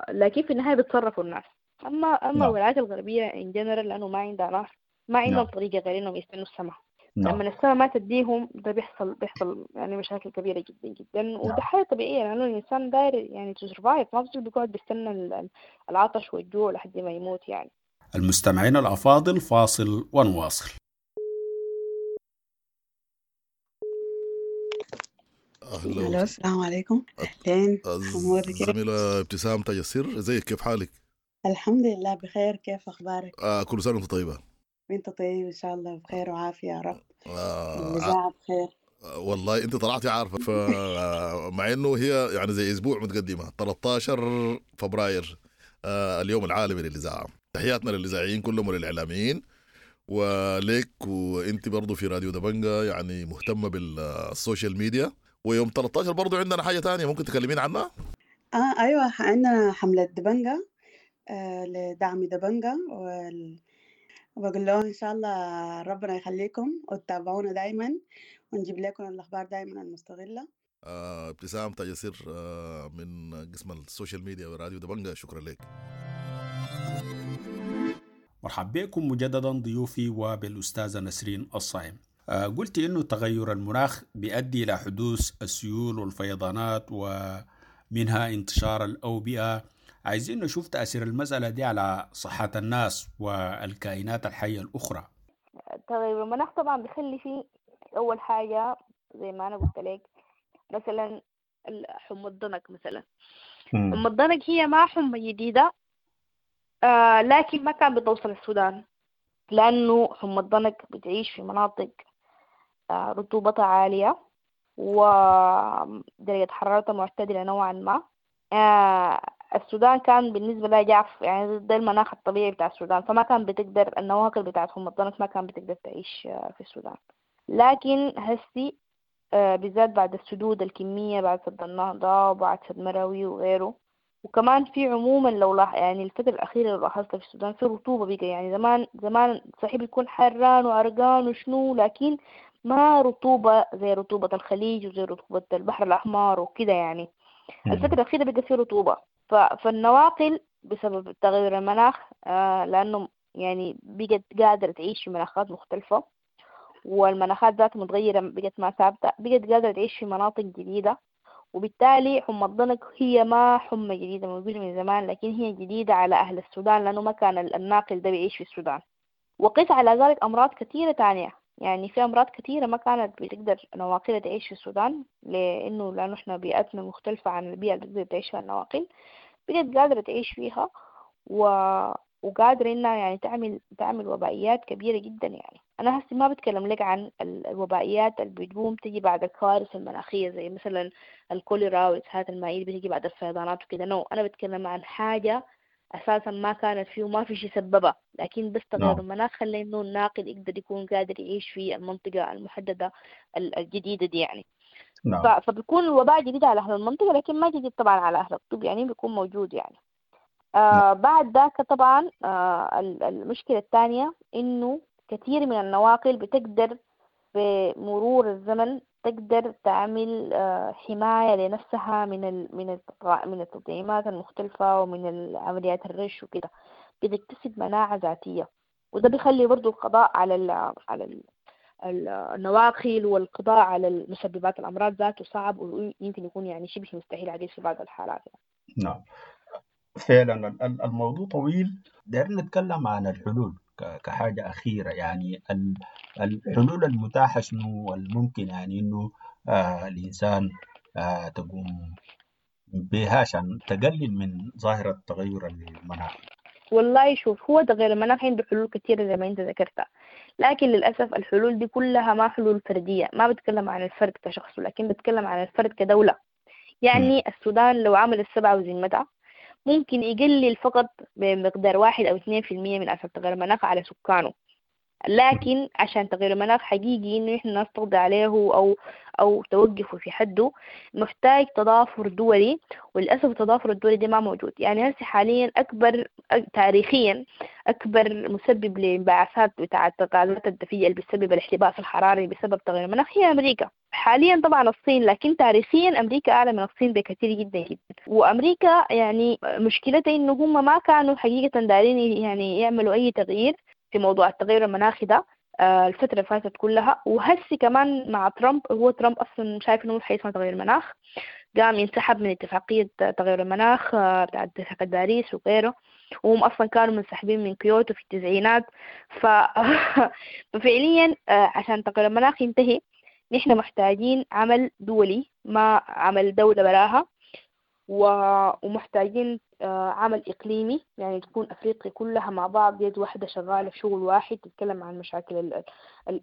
لكن في النهاية بيتصرفوا الناس. أما الولايات الغربية in general لأنه ما عندها نهر، ما عندهم طريقة غير إنهم يستنوا السماء. لما السماء ما تديهم ده بيحصل يعني مشاكل كبيرة جدا جدا. وده حاجة طبيعية لأنه الإنسان داير يعني to survive، ما بيصير بيقعد بيستنى العطش والجوع لحد ما يموت يعني. المستمعين الأفاضل، فاصل ونواصل. أهلا، السلام عليكم. أهلين. زميلة ابتسام تاج السر، ازيك، كيف حالك؟ الحمد لله بخير، كيف أخبارك؟ كل سنة وأنت طيبة. وأنت طيب إن شاء الله، بخير وعافية يا رب. الإذاعة بخير. والله أنت طلعتي عارفة، فمع إنه هي يعني زي أسبوع متقدمة، 13 فبراير اليوم العالمي للإذاعة. تحياتنا للإذاعيين كلهم وللإعلاميين وليك، وأنت برضو في راديو دبنجة يعني مهتمة بال social media. ويوم 13 برضو عندنا حاجة تانية ممكن تكلمين عنها؟ أيوة، عندنا حملة دبنجة لدعم دبنجة، وبقول لهم إن شاء الله ربنا يخليكم وتتابعونا دايما ونجيب لكم الأخبار دايما المستغلة. ابتسام تاج السر من قسم ال social media وراديو دبنجة، شكرا لك. مرحبا بكم مجددا ضيوفي وبالأستاذة نسرين الصائم. قلت إنه تغير المناخ بيؤدي إلى حدوث السيول والفيضانات ومنها انتشار الأوبئة. عايزين نشوف تأثير المسألة دي على صحة الناس والكائنات الحية الأخرى. تغير المناخ طبعا بيخلي فيه أول حاجة زي ما أنا قلت لك مثلا حمى الضنك. مثلا حمى الضنك هي ما حمى جديدة، لكن ما كان بتوصل السودان، لأنه حمى الضنك بتعيش في مناطق رطوبتها عالية ودرجة حرارتها معتدلة نوعا ما. السودان كان بالنسبة لها جاف، يعني ده المناخ الطبيعي بتاع السودان، فما كان بتقدر النواقل بتاعت حمى الضنك ما كان بتقدر تعيش في السودان. لكن هسي بالذات بعد السدود الكمية، بعد سد النهضة وبعد سد مروي وغيره، وكمان في عموما لو يعني الفترة الأخيرة لو لاحظتها في السودان في رطوبة بقى. يعني زمان زمان صحيح بيكون حران وعرقان وشنو، لكن ما رطوبة زي رطوبة الخليج وزي رطوبة البحر الأحمر وكده يعني. الفترة الأخيرة بقى في رطوبة، فالنواقل بسبب تغير المناخ لأنه يعني بقت قادرة تعيش في مناخات مختلفة، والمناخات ذاتها متغيرة بقت ما ثابتة، بقت قادرة تعيش في مناطق جديدة. وبالتالي حمى الضنك هي ما حمى جديدة موجودة من زمان، لكن هي جديدة على أهل السودان لأنه ما كان الناقل ده بيعيش في السودان. وقيس على ذلك أمراض كثيرة تانية، يعني في أمراض كثيرة ما كانت بتقدر نواقلها تعيش في السودان، لأنه إحنا بيئتنا مختلفة عن البيئة اللي بتقدر تعيش فيها النواقل، بقت قادرة تعيش فيها وقادرة إنها يعني تعمل وبائيات كبيرة جدا. يعني أنا هسي ما بتكلم لك عن الوبائيات اللي بتقوم تجي بعد الكوارث المناخية زي مثلا الكوليرا والإسهالات المائية اللي بتجي بعد الفيضانات وكده، no، أنا بتكلم عن حاجة أساسا ما كانت فيه وما في شيء سببها، لكن بس تغير المناخ خلى إنه الناقل يقدر يكون قادر يعيش في المنطقة المحددة الجديدة دي يعني. فبيكون الوباء جديد على أهل المنطقة، لكن ما جديد طبعا على أهل الطب، يعني بيكون موجود يعني. بعد ذاك طبعا المشكلة الثانية إنه كثير من النواقل بتقدر بمرور الزمن تقدر تعمل حماية لنفسها من التطعيمات المختلفة ومن عمليات الرش وكده، بتكتسب مناعة ذاتية. وده بيخلي برضو القضاء على النواقل والقضاء على المسببات الأمراض ذاته صعب، ويمكن يكون يعني شبه مستحيل عليه في بعض الحالات يعني. نعم فعلا الموضوع طويل. دايرين نتكلم عن الحلول كحاجة أخيرة، يعني الحلول المتاحة شنو والممكن يعني إنه الإنسان تقوم بها عشان تقلل من ظاهرة تغير المناخ. والله شوف، هو تغير المناخ عنده حلول كثيرة زي ما أنت ذكرتها، لكن للأسف الحلول دي كلها ما حلول فردية. ما بتكلم عن الفرد كشخص، لكن بتكلم عن الفرد كدولة. يعني السودان لو عمل السبعة وذمتها ممكن يقلل فقط بمقدار 1 أو 2% من أثر تغير المناخ على سكانه، لكن عشان تغير المناخ حقيقي إنه إحنا الناس تقضي عليه أو توقفه في حده محتاج تضافر دولي، وللأسف التضافر الدولي ده ما موجود. يعني هسه حاليا أكبر تاريخيا أكبر مسبب لانبعاثات بتاعة الغازات الدفيئة اللي بتسبب الاحتباس الحراري بسبب تغير المناخ هي أمريكا. حاليا طبعا الصين، لكن تاريخيا أمريكا أعلى من الصين بكثير جدا جدا. وأمريكا يعني مشكلتها إنه هم ما كانوا حقيقة دارين يعني يعملوا أي تغيير في موضوع التغير المناخي ده الفترة اللي فاتت كلها. وهسي كمان مع ترامب، هو ترامب أصلا شايف إنه حيسمى تغير المناخ، قام ينسحب من اتفاقية تغير المناخ بتاعت اتفاقية باريس وغيره، وهم أصلا كانوا منسحبين من كيوتو في التسعينات. ففعليا عشان تغير المناخ ينتهي نحن محتاجين عمل دولي، ما عمل دولة براها، ومحتاجين عمل إقليمي، يعني تكون أفريقيا كلها مع بعض يد واحدة شغالة في شغل واحد تتكلم عن مشاكل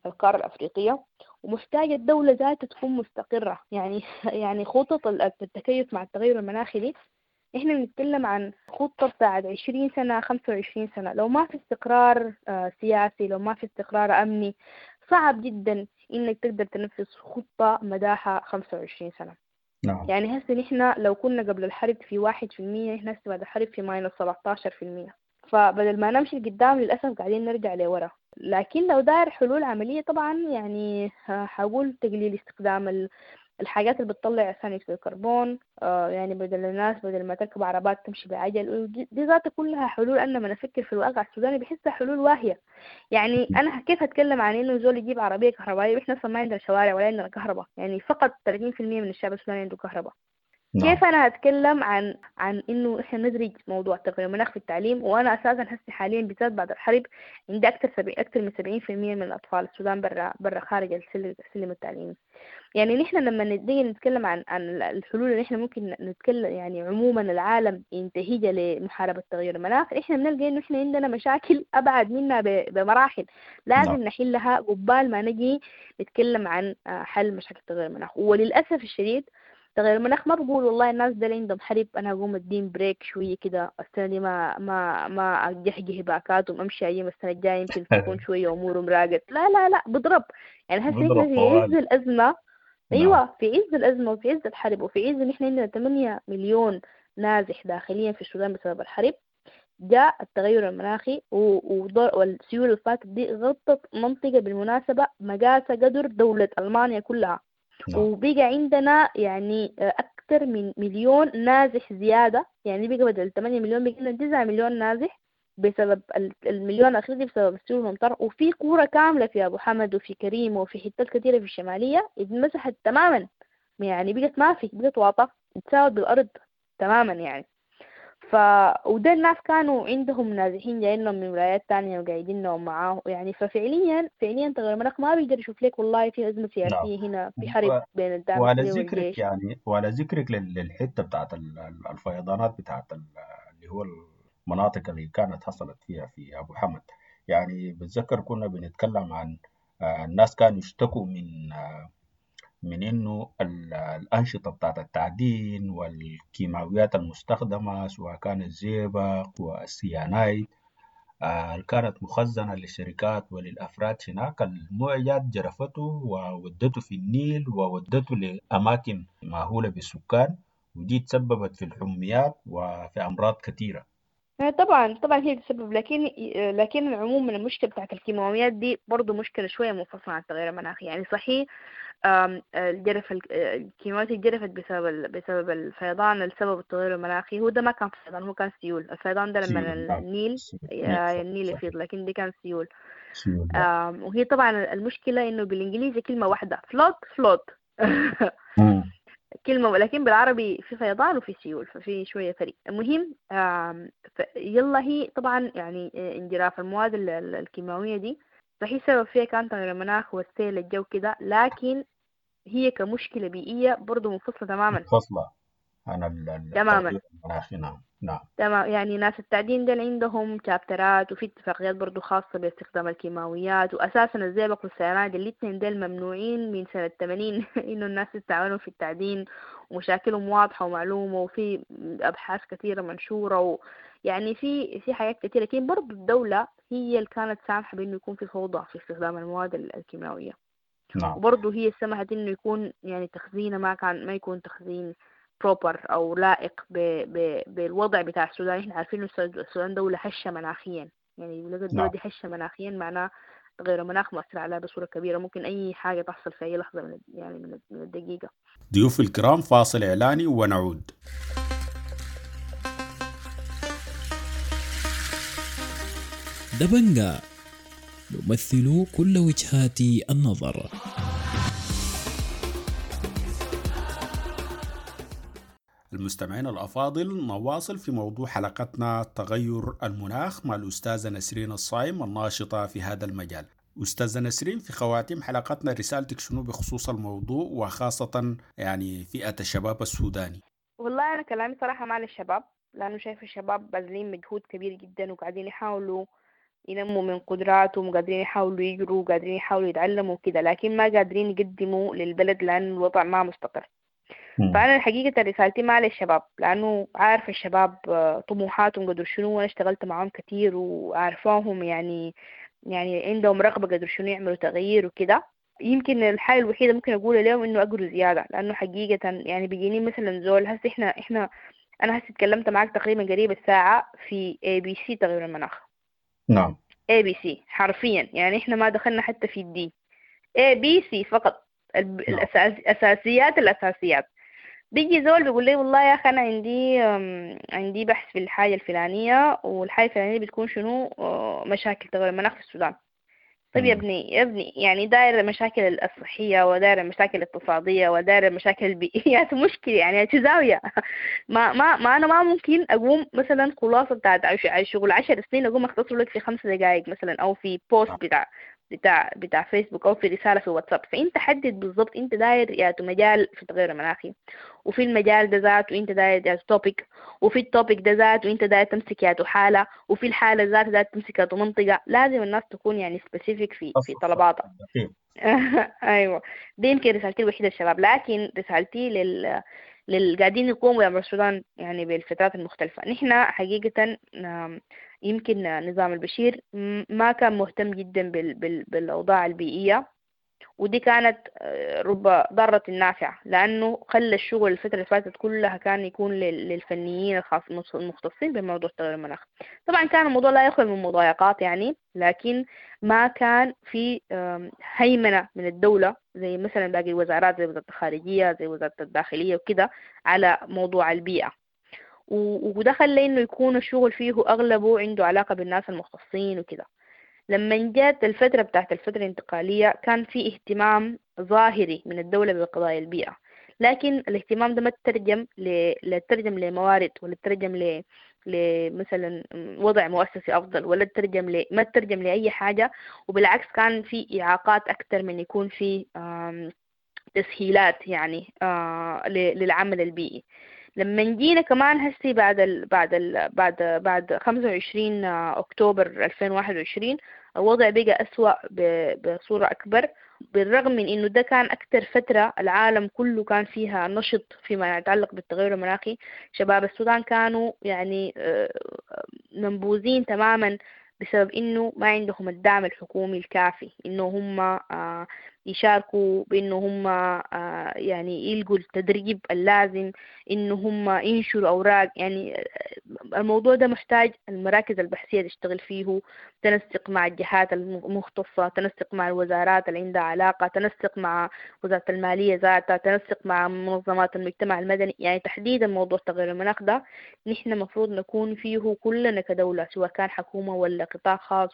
القارة الأفريقية. ومحتاجة الدولة ذاتها تكون مستقرة، يعني خطط التكيف مع التغير المناخي دي إحنا بنتكلم عن خطة بتاعت 20 سنة 25 سنة. لو ما في استقرار سياسي، لو ما في استقرار أمني، صعب جدا إنك تقدر تنفذ خطة مداها 25 سنة. نعم. يعني هسه نحن لو كنا قبل الحرب في 1%، نحن هسه بعد الحرب في minus 17%. فبدل ما نمشي لقدام للأسف قاعدين نرجع لورا. لكن لو داير حلول عملية طبعا يعني حقول تقليل استخدام الحاجات اللي بتطلع ثاني أكسيد الكربون، يعني بدل الناس بدل ما تركب عربات تمشي بعجل، دي ذاتها كلها حلول. أنا لما أفكر في الواقع السوداني بحسها حلول واهية. يعني أنا كيف أتكلم عن إنه زول يجيب عربية كهربائية وإحنا أصلا ما عندنا شوارع ولا عندنا كهرباء؟ يعني فقط 30% من الشعب السوداني عنده كهرباء. نعم. كيف أنا أتكلم عن إنه إحنا ندرج موضوع تغيير المناخ في التعليم، وأنا أساساً هسه حالياً بالذات بعد الحرب عندي أكثر من 70% من الأطفال السودان برا خارج السلم التعليمي. يعني نحن لما نيجي نتكلم عن الحلول اللي إحنا ممكن نتكلم يعني عموماً العالم ينتهجها لمحاربة تغيير المناخ، إحنا بنلقى إنه إحنا عندنا مشاكل أبعد منا بمراحل لازم نعم. نحلها قبال ما نجي نتكلم عن حل مشاكل تغيير المناخ. وللأسف الشديد تغير المناخ ما بقول والله الناس ده اللي عندهم حرب انا اقوم ادين break شويه كده السنه دي ما اجهجه باكاتهم امشي ايام السنه الجايه يمكن تكون شويه امورهم راقت. لا لا لا، بضرب. يعني هسه احنا في عز الازمه. ايوه في عز الازمه وفي عز الحرب وفي عز ان احنا عندنا 8 مليون نازح داخليا في السودان بسبب الحرب. جاء التغير المناخي والسيول اللي فاتت دي غطت منطقه بالمناسبه مقاسه قدر دوله المانيا كلها. نعم. وبقى عندنا يعني أكثر من مليون نازح زيادة، يعني بقى بدل 8 مليون بقى عندنا 9 مليون نازح بسبب المليون الأخير دي بسبب السيول والأمطار. وفي قرى كاملة في أبو حمد وفي كريم وفي حتات كثيرة في الشمالية اتمسحت تماما، يعني بقت ما في، بقت واطة اتساوت بالأرض تماما يعني. وده الناس كانوا عندهم نازحين جايين لهم من ولايات تانية وقاعدين لهم معاه يعني. ففعليا فعليا تغير المناخ ما بيقدر يشوف لك والله في أزمة سياسية نعم. هنا، في حرب بين الدعم وعلى السريع ذكرك والجيش. يعني وعلى ذكرك للحتة بتاعت الفيضانات بتاعت اللي هو المناطق اللي كانت حصلت فيها في أبو حمد، يعني بتذكر كنا بنتكلم عن الناس كانوا يشتكوا من إنه الأنشطة بتاعت التعدين والكيماويات المستخدمة سواء كان الزئبق والسيانايد اللي كانت مخزنة للشركات وللأفراد هناك، المويات جرفته وودته في النيل وودته لأماكن مأهولة بالسكان، ودي تسببت في الحميات وفي أمراض كثيرة. طبعا طبعا هي تسبب، لكن عموما المشكلة بتاعت الكيماويات دي برضو مشكلة شوية منفصلة عن التغير المناخي. يعني صحيح الجرف الكيماويات اتجرفت بسبب الفيضان السبب التغير المناخي. هو ده ما كان فيضان، هو كان سيول. الفيضان ده لما النيل النيل يفيض، لكن دي كان سيول. وهي طبعا المشكلة انه بالانجليزي كلمة واحدة flood flood كلمة، ولكن بالعربي في فيضان وفي سيول، ففي شوية فرق. المهم يلا هي طبعا يعني انجراف المواد الكيماوية دي صحيح سبب فيها كان تغير المناخ والسيل الجو كده، لكن هي كمشكلة بيئية برضو منفصلة تماما، منفصلة عن تماما المناخي. نعم نعم تمام. يعني ناس التعدين دول عندهم chapter ات وفي اتفاقيات برضو خاصة باستخدام الكيماويات، وأساسا الزئبق والسيانايد الاثنين دول ممنوعين من سنة 80 إنه الناس تستعملهم في التعدين، ومشاكلهم واضحة ومعلومة، وفي أبحاث كثيرة منشورة، يعني في حاجات كثيرة. لكن برضو الدولة هي اللي كانت سامحة بإنه يكون في فوضى في استخدام المواد الكيماوية. نعم. وبرضو هي سمحت إنه يكون يعني تخزينه ما يكون تخزين proper أو لائق بالوضع بتاع السودان. إحنا عارفين إنه السودان دولة هشة مناخيا، يعني الدولة دي هشة مناخيا، معناه تغير المناخ مؤثر عليها بصورة كبيرة، ممكن أي حاجة تحصل في أي لحظة من الدقيقة. ضيوف الكرام، فاصل إعلاني ونعود. دبنجا نمثل كل وجهات النظر. المستمعين الأفاضل، نواصل في موضوع حلقتنا تغير المناخ مع الأستاذة نسرين الصايم الناشطة في هذا المجال. أستاذة نسرين، في خواتيم حلقتنا رسالتك شنو بخصوص الموضوع، وخاصة يعني فئة الشباب السوداني؟ والله أنا كلامي صراحة مع الشباب، لأنه شايف الشباب باذلين مجهود كبير جدا، وقاعدين يحاولوا ينموا من قدراتهم، وقادرين يحاولوا يجروا، وقادرين يحاولوا يتعلموا كده، لكن ما قادرين يقدموا للبلد لأن الوضع ما مستقر. فأنا الحقيقة رسالتي مع للشباب، لأنه عارفة الشباب طموحاتهم قدر شنو، وأنا اشتغلت معهم كتير وعارفاهم يعني عندهم رغبة قدر شنو يعملوا تغيير وكده. يمكن الحاجة الوحيدة ممكن أقولها لهم إنه أقروا زيادة، لأنه حقيقة يعني بيجيني مثلا زول هسه إحنا أنا هسه اتكلمت معك تقريبا قريب الساعة في ABC تغير المناخ. نعم. ABC حرفيا، يعني إحنا ما دخلنا حتى في D، ABC فقط، الأساسيات الأساسيات. بيجي زول بيقول لي والله يا أخي أنا عندي بحث في الحاجة الفلانية، والحاجة الفلانية بتكون شنو مشاكل تغير المناخ في السودان. طيب يا ابني يعني داير المشاكل الصحية، وداير المشاكل الاقتصادية، وداير المشاكل البيئية مشكلة يعني زاوية. ما ما ما أنا ما ممكن أقوم مثلا خلاصة بتاعت شغل 10 سنين أقوم أختصر لك في 5 دقائق مثلا، أو في post بتاع فيسبوك، أو في رسالة في واتساب. فأنت حدد بالضبط أنت داير يا مجال في التغير المناخي، وفي المجال ده ذاته أنت داير يا topic، وفي ال topic ده ذاته أنت داير تمسك يا حالة، وفي الحالة ذات داير تمسك يا منطقة. لازم الناس تكون يعني specific في طلباتها. أيوة، دي يمكن رسالتي الوحيدة للشباب. لكن رسالتي للقاعدين يقوموا يعملوا السودان يعني بالفترات المختلفة. نحن حقيقة يمكن نظام البشير ما كان مهتم جدا بالأوضاع البيئية، ودي كانت رب ضارة نافعة، لأنه خلى الشغل الفترة اللي فاتت كلها كان يكون للفنيين الخاص المختصين بموضوع تغير المناخ. طبعا كان الموضوع لا يخلو من مضايقات يعني، لكن ما كان في هيمنة من الدولة زي مثلا باقي الوزارات، زي وزارة الخارجية، زي وزارة الداخلية وكده، على موضوع البيئة. وده خلى إنه يكون الشغل فيه أغلبه عنده علاقة بالناس المختصين وكده. لما جات الفترة بتاعت الفترة الانتقالية كان في اهتمام ظاهري من الدولة بقضايا البيئة، لكن الاهتمام ده ما تترجم لا تترجم لموارد، ولا تترجم لمثلا وضع مؤسسي أفضل، ولا تترجم ما تترجم لأي حاجة. وبالعكس كان في إعاقات أكثر من يكون في تسهيلات يعني للعمل البيئي. لما جينا كمان هسي بعد ال بعد ال بعد بعد 25 أكتوبر 2021 الوضع بقى أسوأ بصورة أكبر، بالرغم من إنه ده كان أكتر فترة العالم كله كان فيها نشط فيما يتعلق بالتغير المناخي. شباب السودان كانوا يعني منبوذين تماما بسبب إنه ما عندهم الدعم الحكومي الكافي، إنه هم يشاركوا بإنه هم يعني يلقوا التدريب اللازم، إنه هم ينشروا أوراق. يعني الموضوع ده محتاج المراكز البحثية تشتغل فيه، تنسق مع الجهات المختصة، تنسق مع الوزارات اللي عندها علاقة، تنسق مع وزارة المالية ذاتها، تنسق مع منظمات المجتمع المدني. يعني تحديدا موضوع تغير المناخ ده نحن مفروض نكون فيه كلنا كدولة، سواء كان حكومة ولا قطاع خاص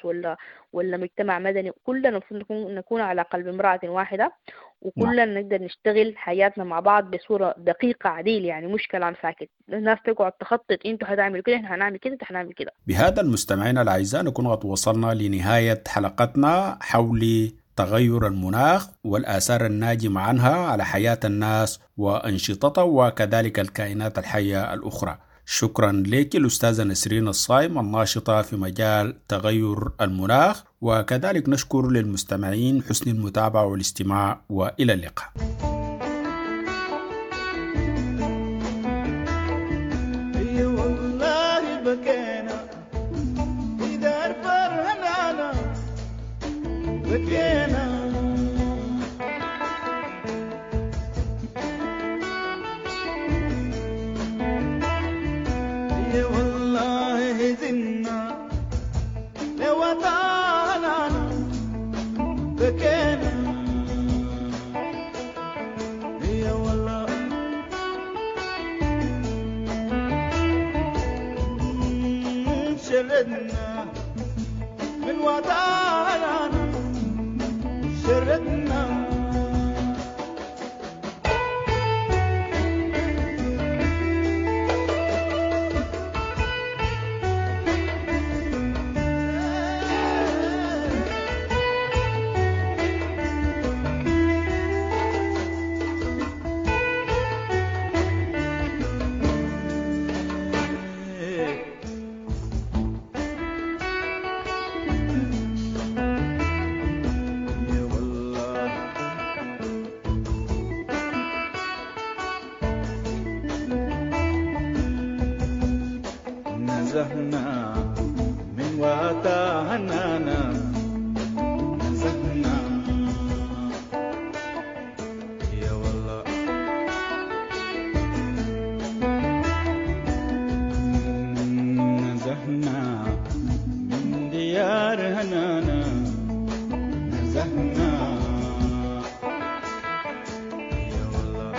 ولا مجتمع مدني، كلنا المفروض نكون على قلب امرأة واحدة، وكلنا نقدر نشتغل حياتنا مع بعض بصورة دقيقة عديل، يعني مش كلام ساكت. الناس تقعد تخطط، انتوا هتعملوا كده، احنا هنعمل كده، انتوا هنعمل كده. بهذا المستمعين الأعزاء نكون قد وصلنا لنهاية حلقتنا حول تغير المناخ والآثار الناجمة عنها على حياة الناس وأنشطتها وكذلك الكائنات الحية الأخرى. شكرا لك الأستاذة نسرين الصايم الناشطة في مجال تغير المناخ، وكذلك نشكر للمستمعين حسن المتابعة والاستماع، وإلى اللقاء. من وطننا شردنا. نزهنا من وطننا، نزهنا يا والله، نزهنا من ديار هنانا، نزهنا يا والله،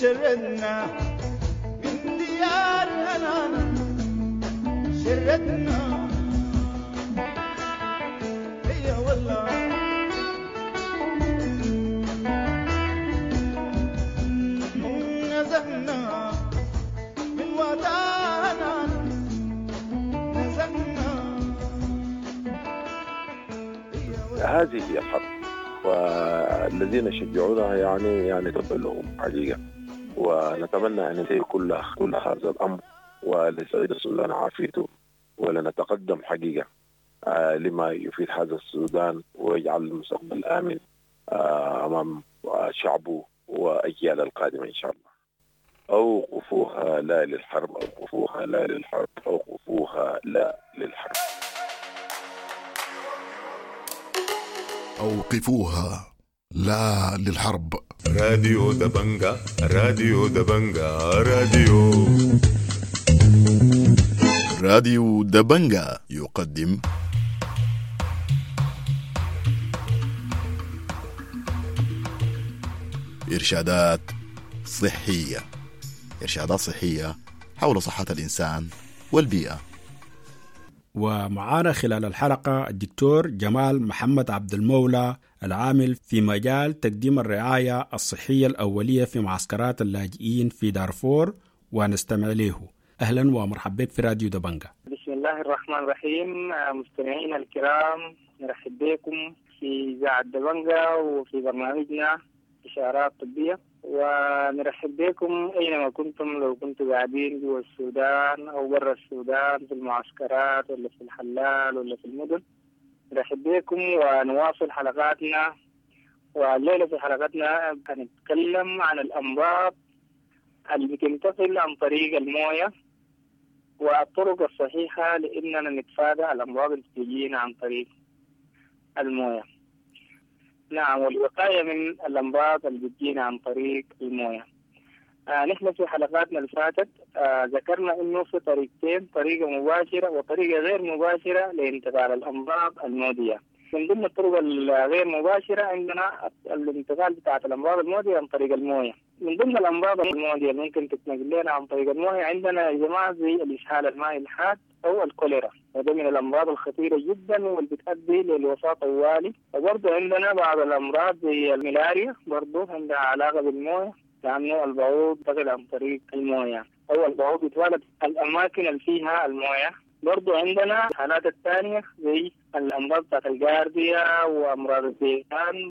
شردنا من ديار هنانا، شردنا يا والله، نزهنا من وطننا، نزهنا. هذه هي الحرب، والذين يشجعونها يعني تبا لهم حقيقة، ونتمنى أن ينتهي كل هذا الأمر، ولسعيد السودان عافيته، ولنتقدم حقيقة لما يفيد هذا السودان ويجعل المستقبل آمن أمام شعبه وأجيال القادمة إن شاء الله. أوقفوها لا للحرب، أوقفوها لا للحرب، أوقفوها لا للحرب. أوقفوها لا للحرب. راديو دبنجا، راديو دبنجا، راديو راديو دبنجا يقدم إرشادات صحية، إرشادات صحية حول صحة الإنسان والبيئة. ومعانا خلال الحلقة الدكتور جمال محمد عبد المولى العامل في مجال تقديم الرعاية الصحية الأولية في معسكرات اللاجئين في دارفور، ونستمع له. أهلا ومرحبا بك في راديو دبنجا. بسم الله الرحمن الرحيم. مستمعينا الكرام، نرحب بكم في إذاعة دبنجا وفي برنامجنا إشارات طبية، ونرحب بكم أينما كنتم، لو كنتم قاعدين جوا السودان أو برا السودان، في المعسكرات ولا في الحلال ولا في المدن. نرحب بكم ونواصل حلقاتنا. والليلة في حلقتنا هنتكلم عن الأمراض اللي بتنتقل عن طريق الموية، والطرق الصحيحة لإننا نتفادى الأمراض اللي بتجينا عن طريق الموية. نعم، والوقاية من الأمراض اللي بتجينا عن طريق الموية. نحن في حلقاتنا اللي فاتت ذكرنا إنه في طريقتين، طريقة مباشرة وطريقة غير مباشرة لانتقال الأمراض المعدية. من ضمن الطرق الغير مباشرة عندنا الانتقال بتاعت الأمراض المعدية عن طريق الموية. من ضمن الأمراض المعدية اللي ممكن تتنقل لنا عن طريق الموية عندنا يا جماعة زي الإسهال المائي الحاد أو الكوليرا، وده من الأمراض الخطيرة جدا واللي بتؤدي للوفاة طوالي. وبرضه عندنا بعض الأمراض زي الملاريا برضه عندها علاقة بالموية، لأنه البعوض ينتقل عن طريق الموية أو البعوض يتولد الأماكن اللي فيها الموية. برضو عندنا الحالات الثانية زي الأمراض بتاعت الجارديا وأمراض الديدان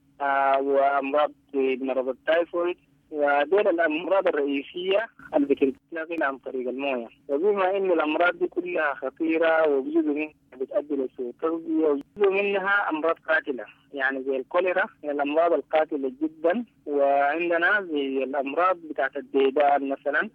وأمراض مرض التايفويد، ودول الأمراض الرئيسية اللي بتنتقل عن طريق الموية. وبما إنه الأمراض دي كلها خطيرة وجزء منها بتؤدي لسوء التغذية وجزء منها أمراض قاتلة، يعني زي الكوليرا من الأمراض القاتلة جدا، وعندنا زي الأمراض بتاعت الديدان مثلا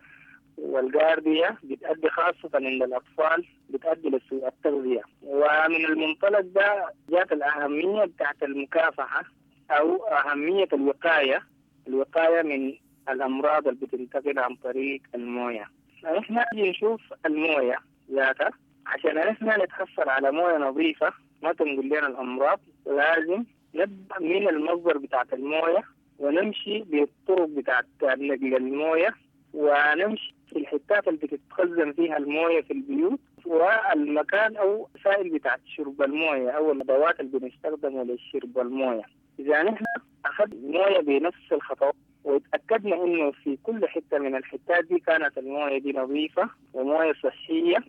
والجارديا بتأدي خاصة عند الأطفال بتأدي لسوء التغذية. ومن المنطلق ده جات الأهمية بتاعت المكافحة أو أهمية الوقاية، الوقاية من الأمراض اللي بتنتقل عن طريق الموية. نحن نجي نشوف الموية ذاتها، عشان نحن نتحصل على موية نظيفة ما تنقل لنا الأمراض لازم نبدأ من المصدر بتاعت الموية ونمشي بالطرق بتاعت نقل الموية، ونمشي في الحتات اللي بتتخزن فيها الموية في البيوت، والمكان أو سائل بتاعت شرب الموية أو الأدوات اللي بنستخدمها لشرب الموية. إذا نحن أخذنا الموية بنفس الخطوات وتأكدنا إنه في كل حتة من الحتات دي كانت الموية دي نظيفة وموية صحية،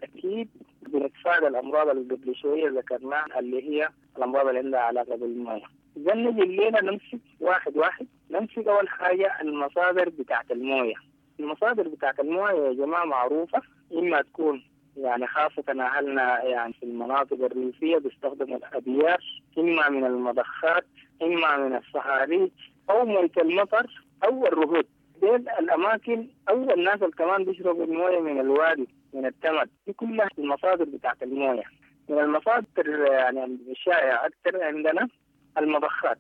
أكيد بنتفادى الأمراض اللي قبل شوية ذكرناها اللي هي الأمراض اللي عندها علاقة بالموية. إذا نجي الليلة نمسك واحد واحد، نمسك أول حاجة المصادر بتاعت الموية. المصادر بتاعت الموية يا جماعة معروفة، إما تكون يعني خاصة أهلنا يعني في المناطق الريفية بيستخدموا الأبيار، إما من المضخات، إما من الصهاريج أو موية المطر أو الرهود. ديل الأماكن أو الناس اللي كمان بيشربوا الموية من الوادي من التمد، دي كلها المصادر بتاعت الموية. من المصادر يعني الشائعة أكثر عندنا المضخات.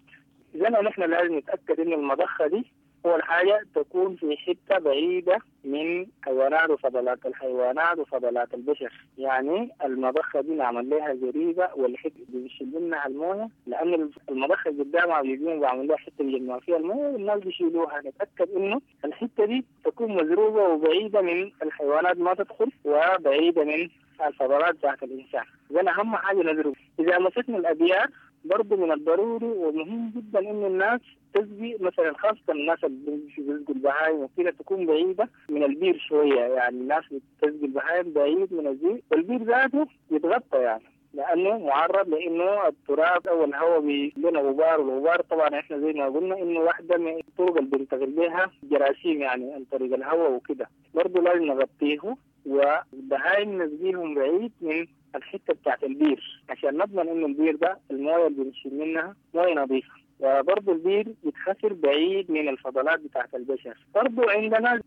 إذا نحن لازم نتأكد إن المضخة دي أول حاجة تكون في حتة بعيدة من حيوانات وفضلات الحيوانات وفضلات البشر، يعني المضخة دي نعمل لها زريبة والحتة اللي بيشيل منها الموية، لأن المضخة قدامها بيجون بيعمل لها حتة بيجمعوا فيها الموية والناس بيشيلوها. نتأكد إنه الحتة دي تكون مزروبة وبعيدة من الحيوانات ما تدخل وبعيدة من الفضلات بتاعت الإنسان. إذا أهم حاجة نزرب. إذا مسكنا الأبيار برضه من الضروري ومهم جدا إنه الناس تسقي مثلا، خاصة الناس اللي بيسقوا البهايم وكده تكون بعيدة من البير شوية، يعني الناس بتسقي البهايم بعيد من البير، والبير ذاته يتغطى يعني لأنه معرض لأنه التراب أو الهواء بيلنا غبار، والغبار طبعا إحنا زي ما قلنا إنه واحدة من الطرق اللي بننتقل بها جراثيم يعني عن طريق الهواء وكده، برضه لازم نغطيه، والبهايم نسقيهم بعيد من الحتة بتاعت البير عشان نضمن إنه البير ده الموية اللي بنشيل منها موية نظيفة. وبرضه البير يتخسر بعيد من الفضلات بتاعت البشر. برضه عندنا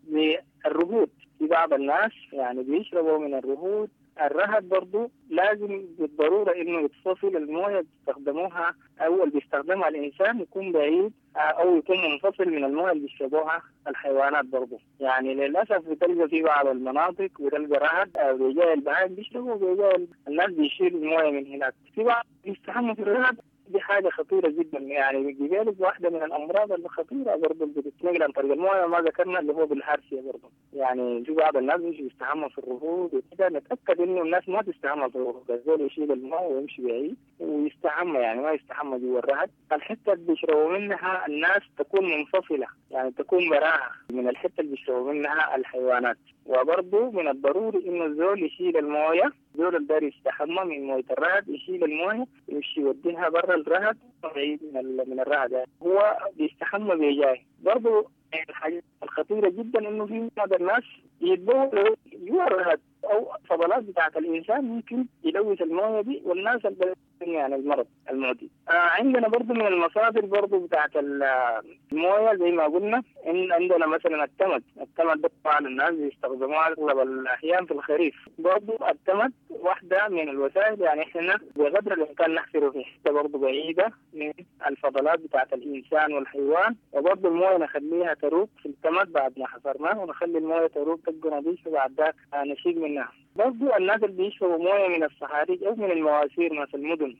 الرهود، في بعض الناس يعني بيشربوا من الرهود. الرهد برضه لازم بالضرورة إنه يتفصل الموية بيستخدموها أو اللي بيستخدمها الإنسان يكون بعيد أو يكون منفصل من الموية اللي بيشربوها الحيوانات برضه. يعني للأسف بتلقى في بعض المناطق بتلقى رهد أو بيجاي البهائم بيشربوا وبيجاي الناس بيشيلوا الموية من هناك. في بعض بيستحموا في الرهد، دي حاجة خطيرة جدا، يعني بيجيلك واحدة من الأمراض الخطيرة برضه اللي بتتنقل عن طريق الموية ما ذكرنا اللي هو بالهارسية برضه. يعني في بعض الناس بيجوا يستحموا في الرهود وكده، نتأكد إنه الناس ما تستحمى في الرهود، الزول يشيل الماء ويمشي بعيد ويستحمى، يعني ما يستحمى جوا الرهد. الحتة اللي بيشربوا منها الناس تكون منفصلة، يعني تكون براها من الحتة اللي بيشربوا منها الحيوانات. وبرضه من الضروري إنه الزول يشيل الموية، الزول اللي داير يستحمى من موية الرهد يشيل الموية يمشي يوديها برا الرهد بعيد من الرهد، يعني هو بيستحمى بيجاي. برضه الحاجة الخطيرة جدا إنه في بعض الناس يتبولوا جوا الرهد أو الفضلات بتاعة الإنسان ممكن يلوث الموية دي والناس اللي يعني المرض المعدي. عندنا برضو من المصادر برضو بتاعة الموية زي ما قلنا إن عندنا مثلا التمد. التمد ده طبعا الناس بيستخدموها أغلب الأحيان في الخريف. برضو التمد واحدة من الوسائل، يعني إحنا بقدر الإمكان نحفره في حتة برضو بعيدة من الفضلات بتاعة الإنسان والحيوان، وبرضو الموية نخليها تروق في التمد بعد ما حفرناه، ونخلي الموية تروق تبقى نظيفة بعد ذاك نشيل منها. برضو الناس اللي بيشربوا موية من الصهاريج أو من المواسير ناس المدن،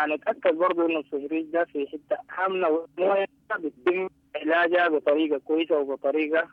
نتأكد برضو إنه الصهريج ده في حتة آمنة والموية بيتم علاجها بطريقة كويسة وبطريقة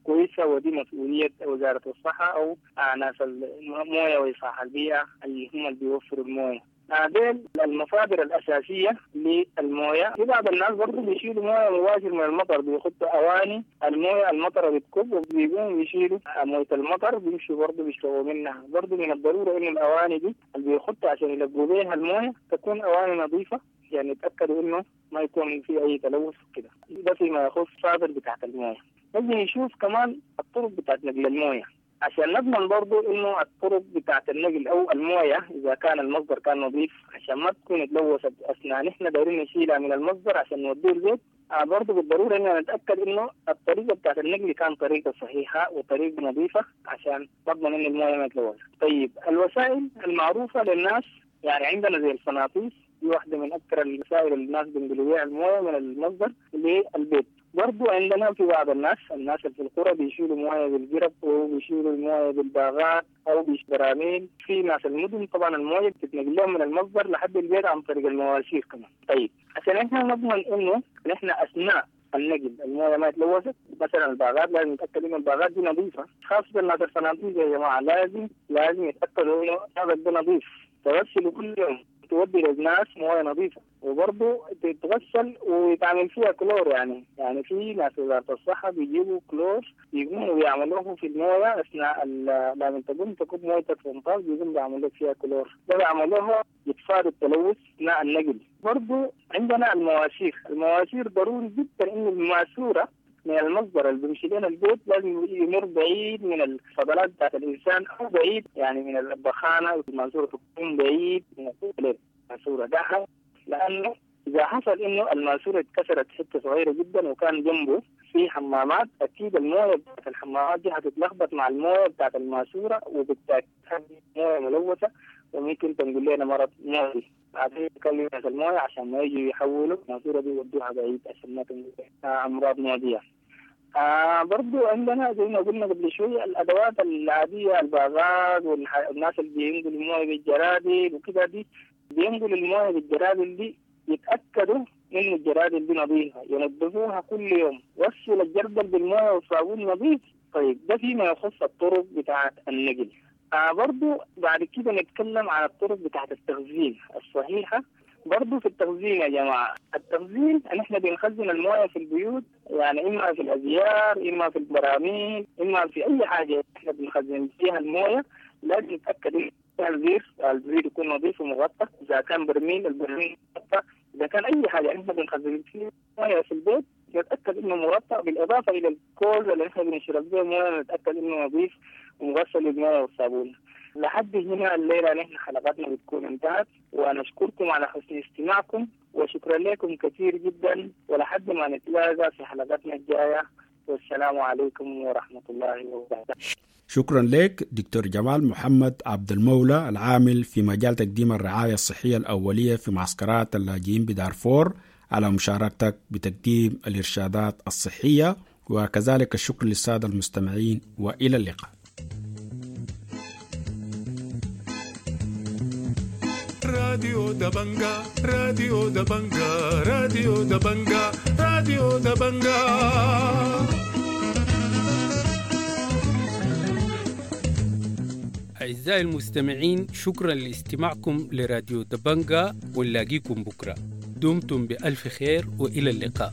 كويسة، ودي مسؤولية وزارة الصحة أو ناس الموية وإصلاح البيئة اللي هم اللي بيوفروا الموية. ديل المصادر الأساسية للموية. في بعض الناس برضو بيشيلوا موية مباشر من المطر، بيحطوا أواني الموية المطر بتكب وبيقوموا بيشيلوا موية المطر، بيمشوا برضو بيشربوا منها. برضو من الضرورة إنه الأواني دي اللي بيحطوا عشان يلقوا بيها الموية تكون أواني نظيفة، يعني يتأكدوا إنه ما يكون في أي تلوث كده. ده فيما يخص المصادر بتاعت الموية. نجي نشوف كمان الطرق بتاعت نقل الموية عشان نضمن برضو إنه الطرق بتاعت النقل أو الموية إذا كان المصدر كان نظيف عشان ما تكون اتلوثت أثناء نحن دايرين نشيلها من المصدر عشان نوديه البيت. برضو بالضرورة إننا نتأكد إنه الطريقة بتاعت النقل كان طريقة صحيحة وطريقة نظيفة عشان نضمن إنه الموية ما تلوث. طيب الوسائل المعروفة للناس، يعني عندنا زي الفناطيس، دي واحدة من أكثر الوسائل اللي الناس بينقلوا بيها الموية من المصدر للبيت. برضو عندنا في بعض الناس اللي في القرى بيشيلوا موية بالجرب وبيشيلوا الموية بالباغات أو بالبراميل. في ناس المدن طبعا الموية بتتنقل لهم من المصدر لحد البيت عن طريق المواسير كمان. طيب عشان احنا نضمن إنه نحن أثناء النقل الموية ما تلوثت، مثلا الباغات لازم نتأكد إنه الباغات دي نظيفة، خاصة الناس الفنادق يا جماعة لازم يتأكدوا إنه هذا ده نظيف، تغسلوا كل يوم، تودي للناس مويه نظيفه، وبرضه تتغسل ويتعمل فيها كلور. يعني في ناس وزاره الصحه بيجيبوا كلور يقوموا بيعملوه في المويه اثناء لما تقوم تكب مويتك في الفنطاس بيقوم بيعملوا لك فيها كلور، ده بيعملوها يتفادى التلوث اثناء النقل. برضه عندنا المواسير، المواسير ضروري جدا انه الماسوره من المصدر اللي بيمشي لنا البيت لازم يمر بعيد من الفضلات بتاعت الانسان او بعيد يعني من البخانه، الماسوره تكون بعيد من الماسوره ده، لانه اذا حصل انه الماسوره اتكسرت حته صغيره جدا وكان جنبه في حمامات، اكيد المويه بتاعت الحمامات دي هتتلخبط مع المويه بتاعت الماسوره، وبالتالي مويه ملوثه وممكن تنقل لنا مرض معدي. بعدين نكلم ناس المويه عشان ما يجوا يحولوا الماسوره دي يودوها بعيد عشان ما تنقل امراض معديه. برضو عندنا زي ما قلنا قبل شوية الأدوات العادية، الباغات والناس اللي بينقلوا الموية بالجرادل وكده، دي بينقلوا الموية بالجرادل دي يتأكدوا إنه الجرادل دي نظيفة، ينظفوها كل يوم، غسل الجردل بالموية والصابون نظيف. طيب ده فيما يخص الطرق بتاعة النقل. برضو بعد كده نتكلم عن الطرق بتاعة التخزين الصحيحة. برضو في التخزين يا جماعة، التخزين نحن بنخزن الموية في البيوت، يعني إما في الأزيار، إما في البراميل، إما في أي حاجة نحن بنخزن فيها الموية. لازم نتأكد إن الزير يكون نظيف ومغطى، إذا كان برميل البرميل مغطى، إذا كان أي حاجة نحن بنخزن فيها موية في البيت نتأكد إنه مغطى، بالإضافة إلى الكوز اللي نحن بنشرب به موية نتأكد إنه نظيف ومغسل بالموية والصابون. لحد هنا الليلة نحن حلقاتنا بتكون انتهت، ونشكركم على حسن استماعكم وشكرا لكم كثير جدا، ولحد ما نتلاقى في حلقاتنا الجاية، والسلام عليكم ورحمة الله وبركاته. شكرا لك دكتور جمال محمد عبد المولى، العامل في مجال تقديم الرعاية الصحية الأولية في معسكرات اللاجئين بدارفور، على مشاركتك بتقديم الإرشادات الصحية، وكذلك الشكر للسادة المستمعين، وإلى اللقاء. راديو دبنجا، راديو دبنجا، راديو دبنجا، راديو دبنجا. أعزائي المستمعين، شكرا لاستماعكم لراديو دبنجا، ونلاقيكم بكرة. دمتم بألف خير وإلى اللقاء.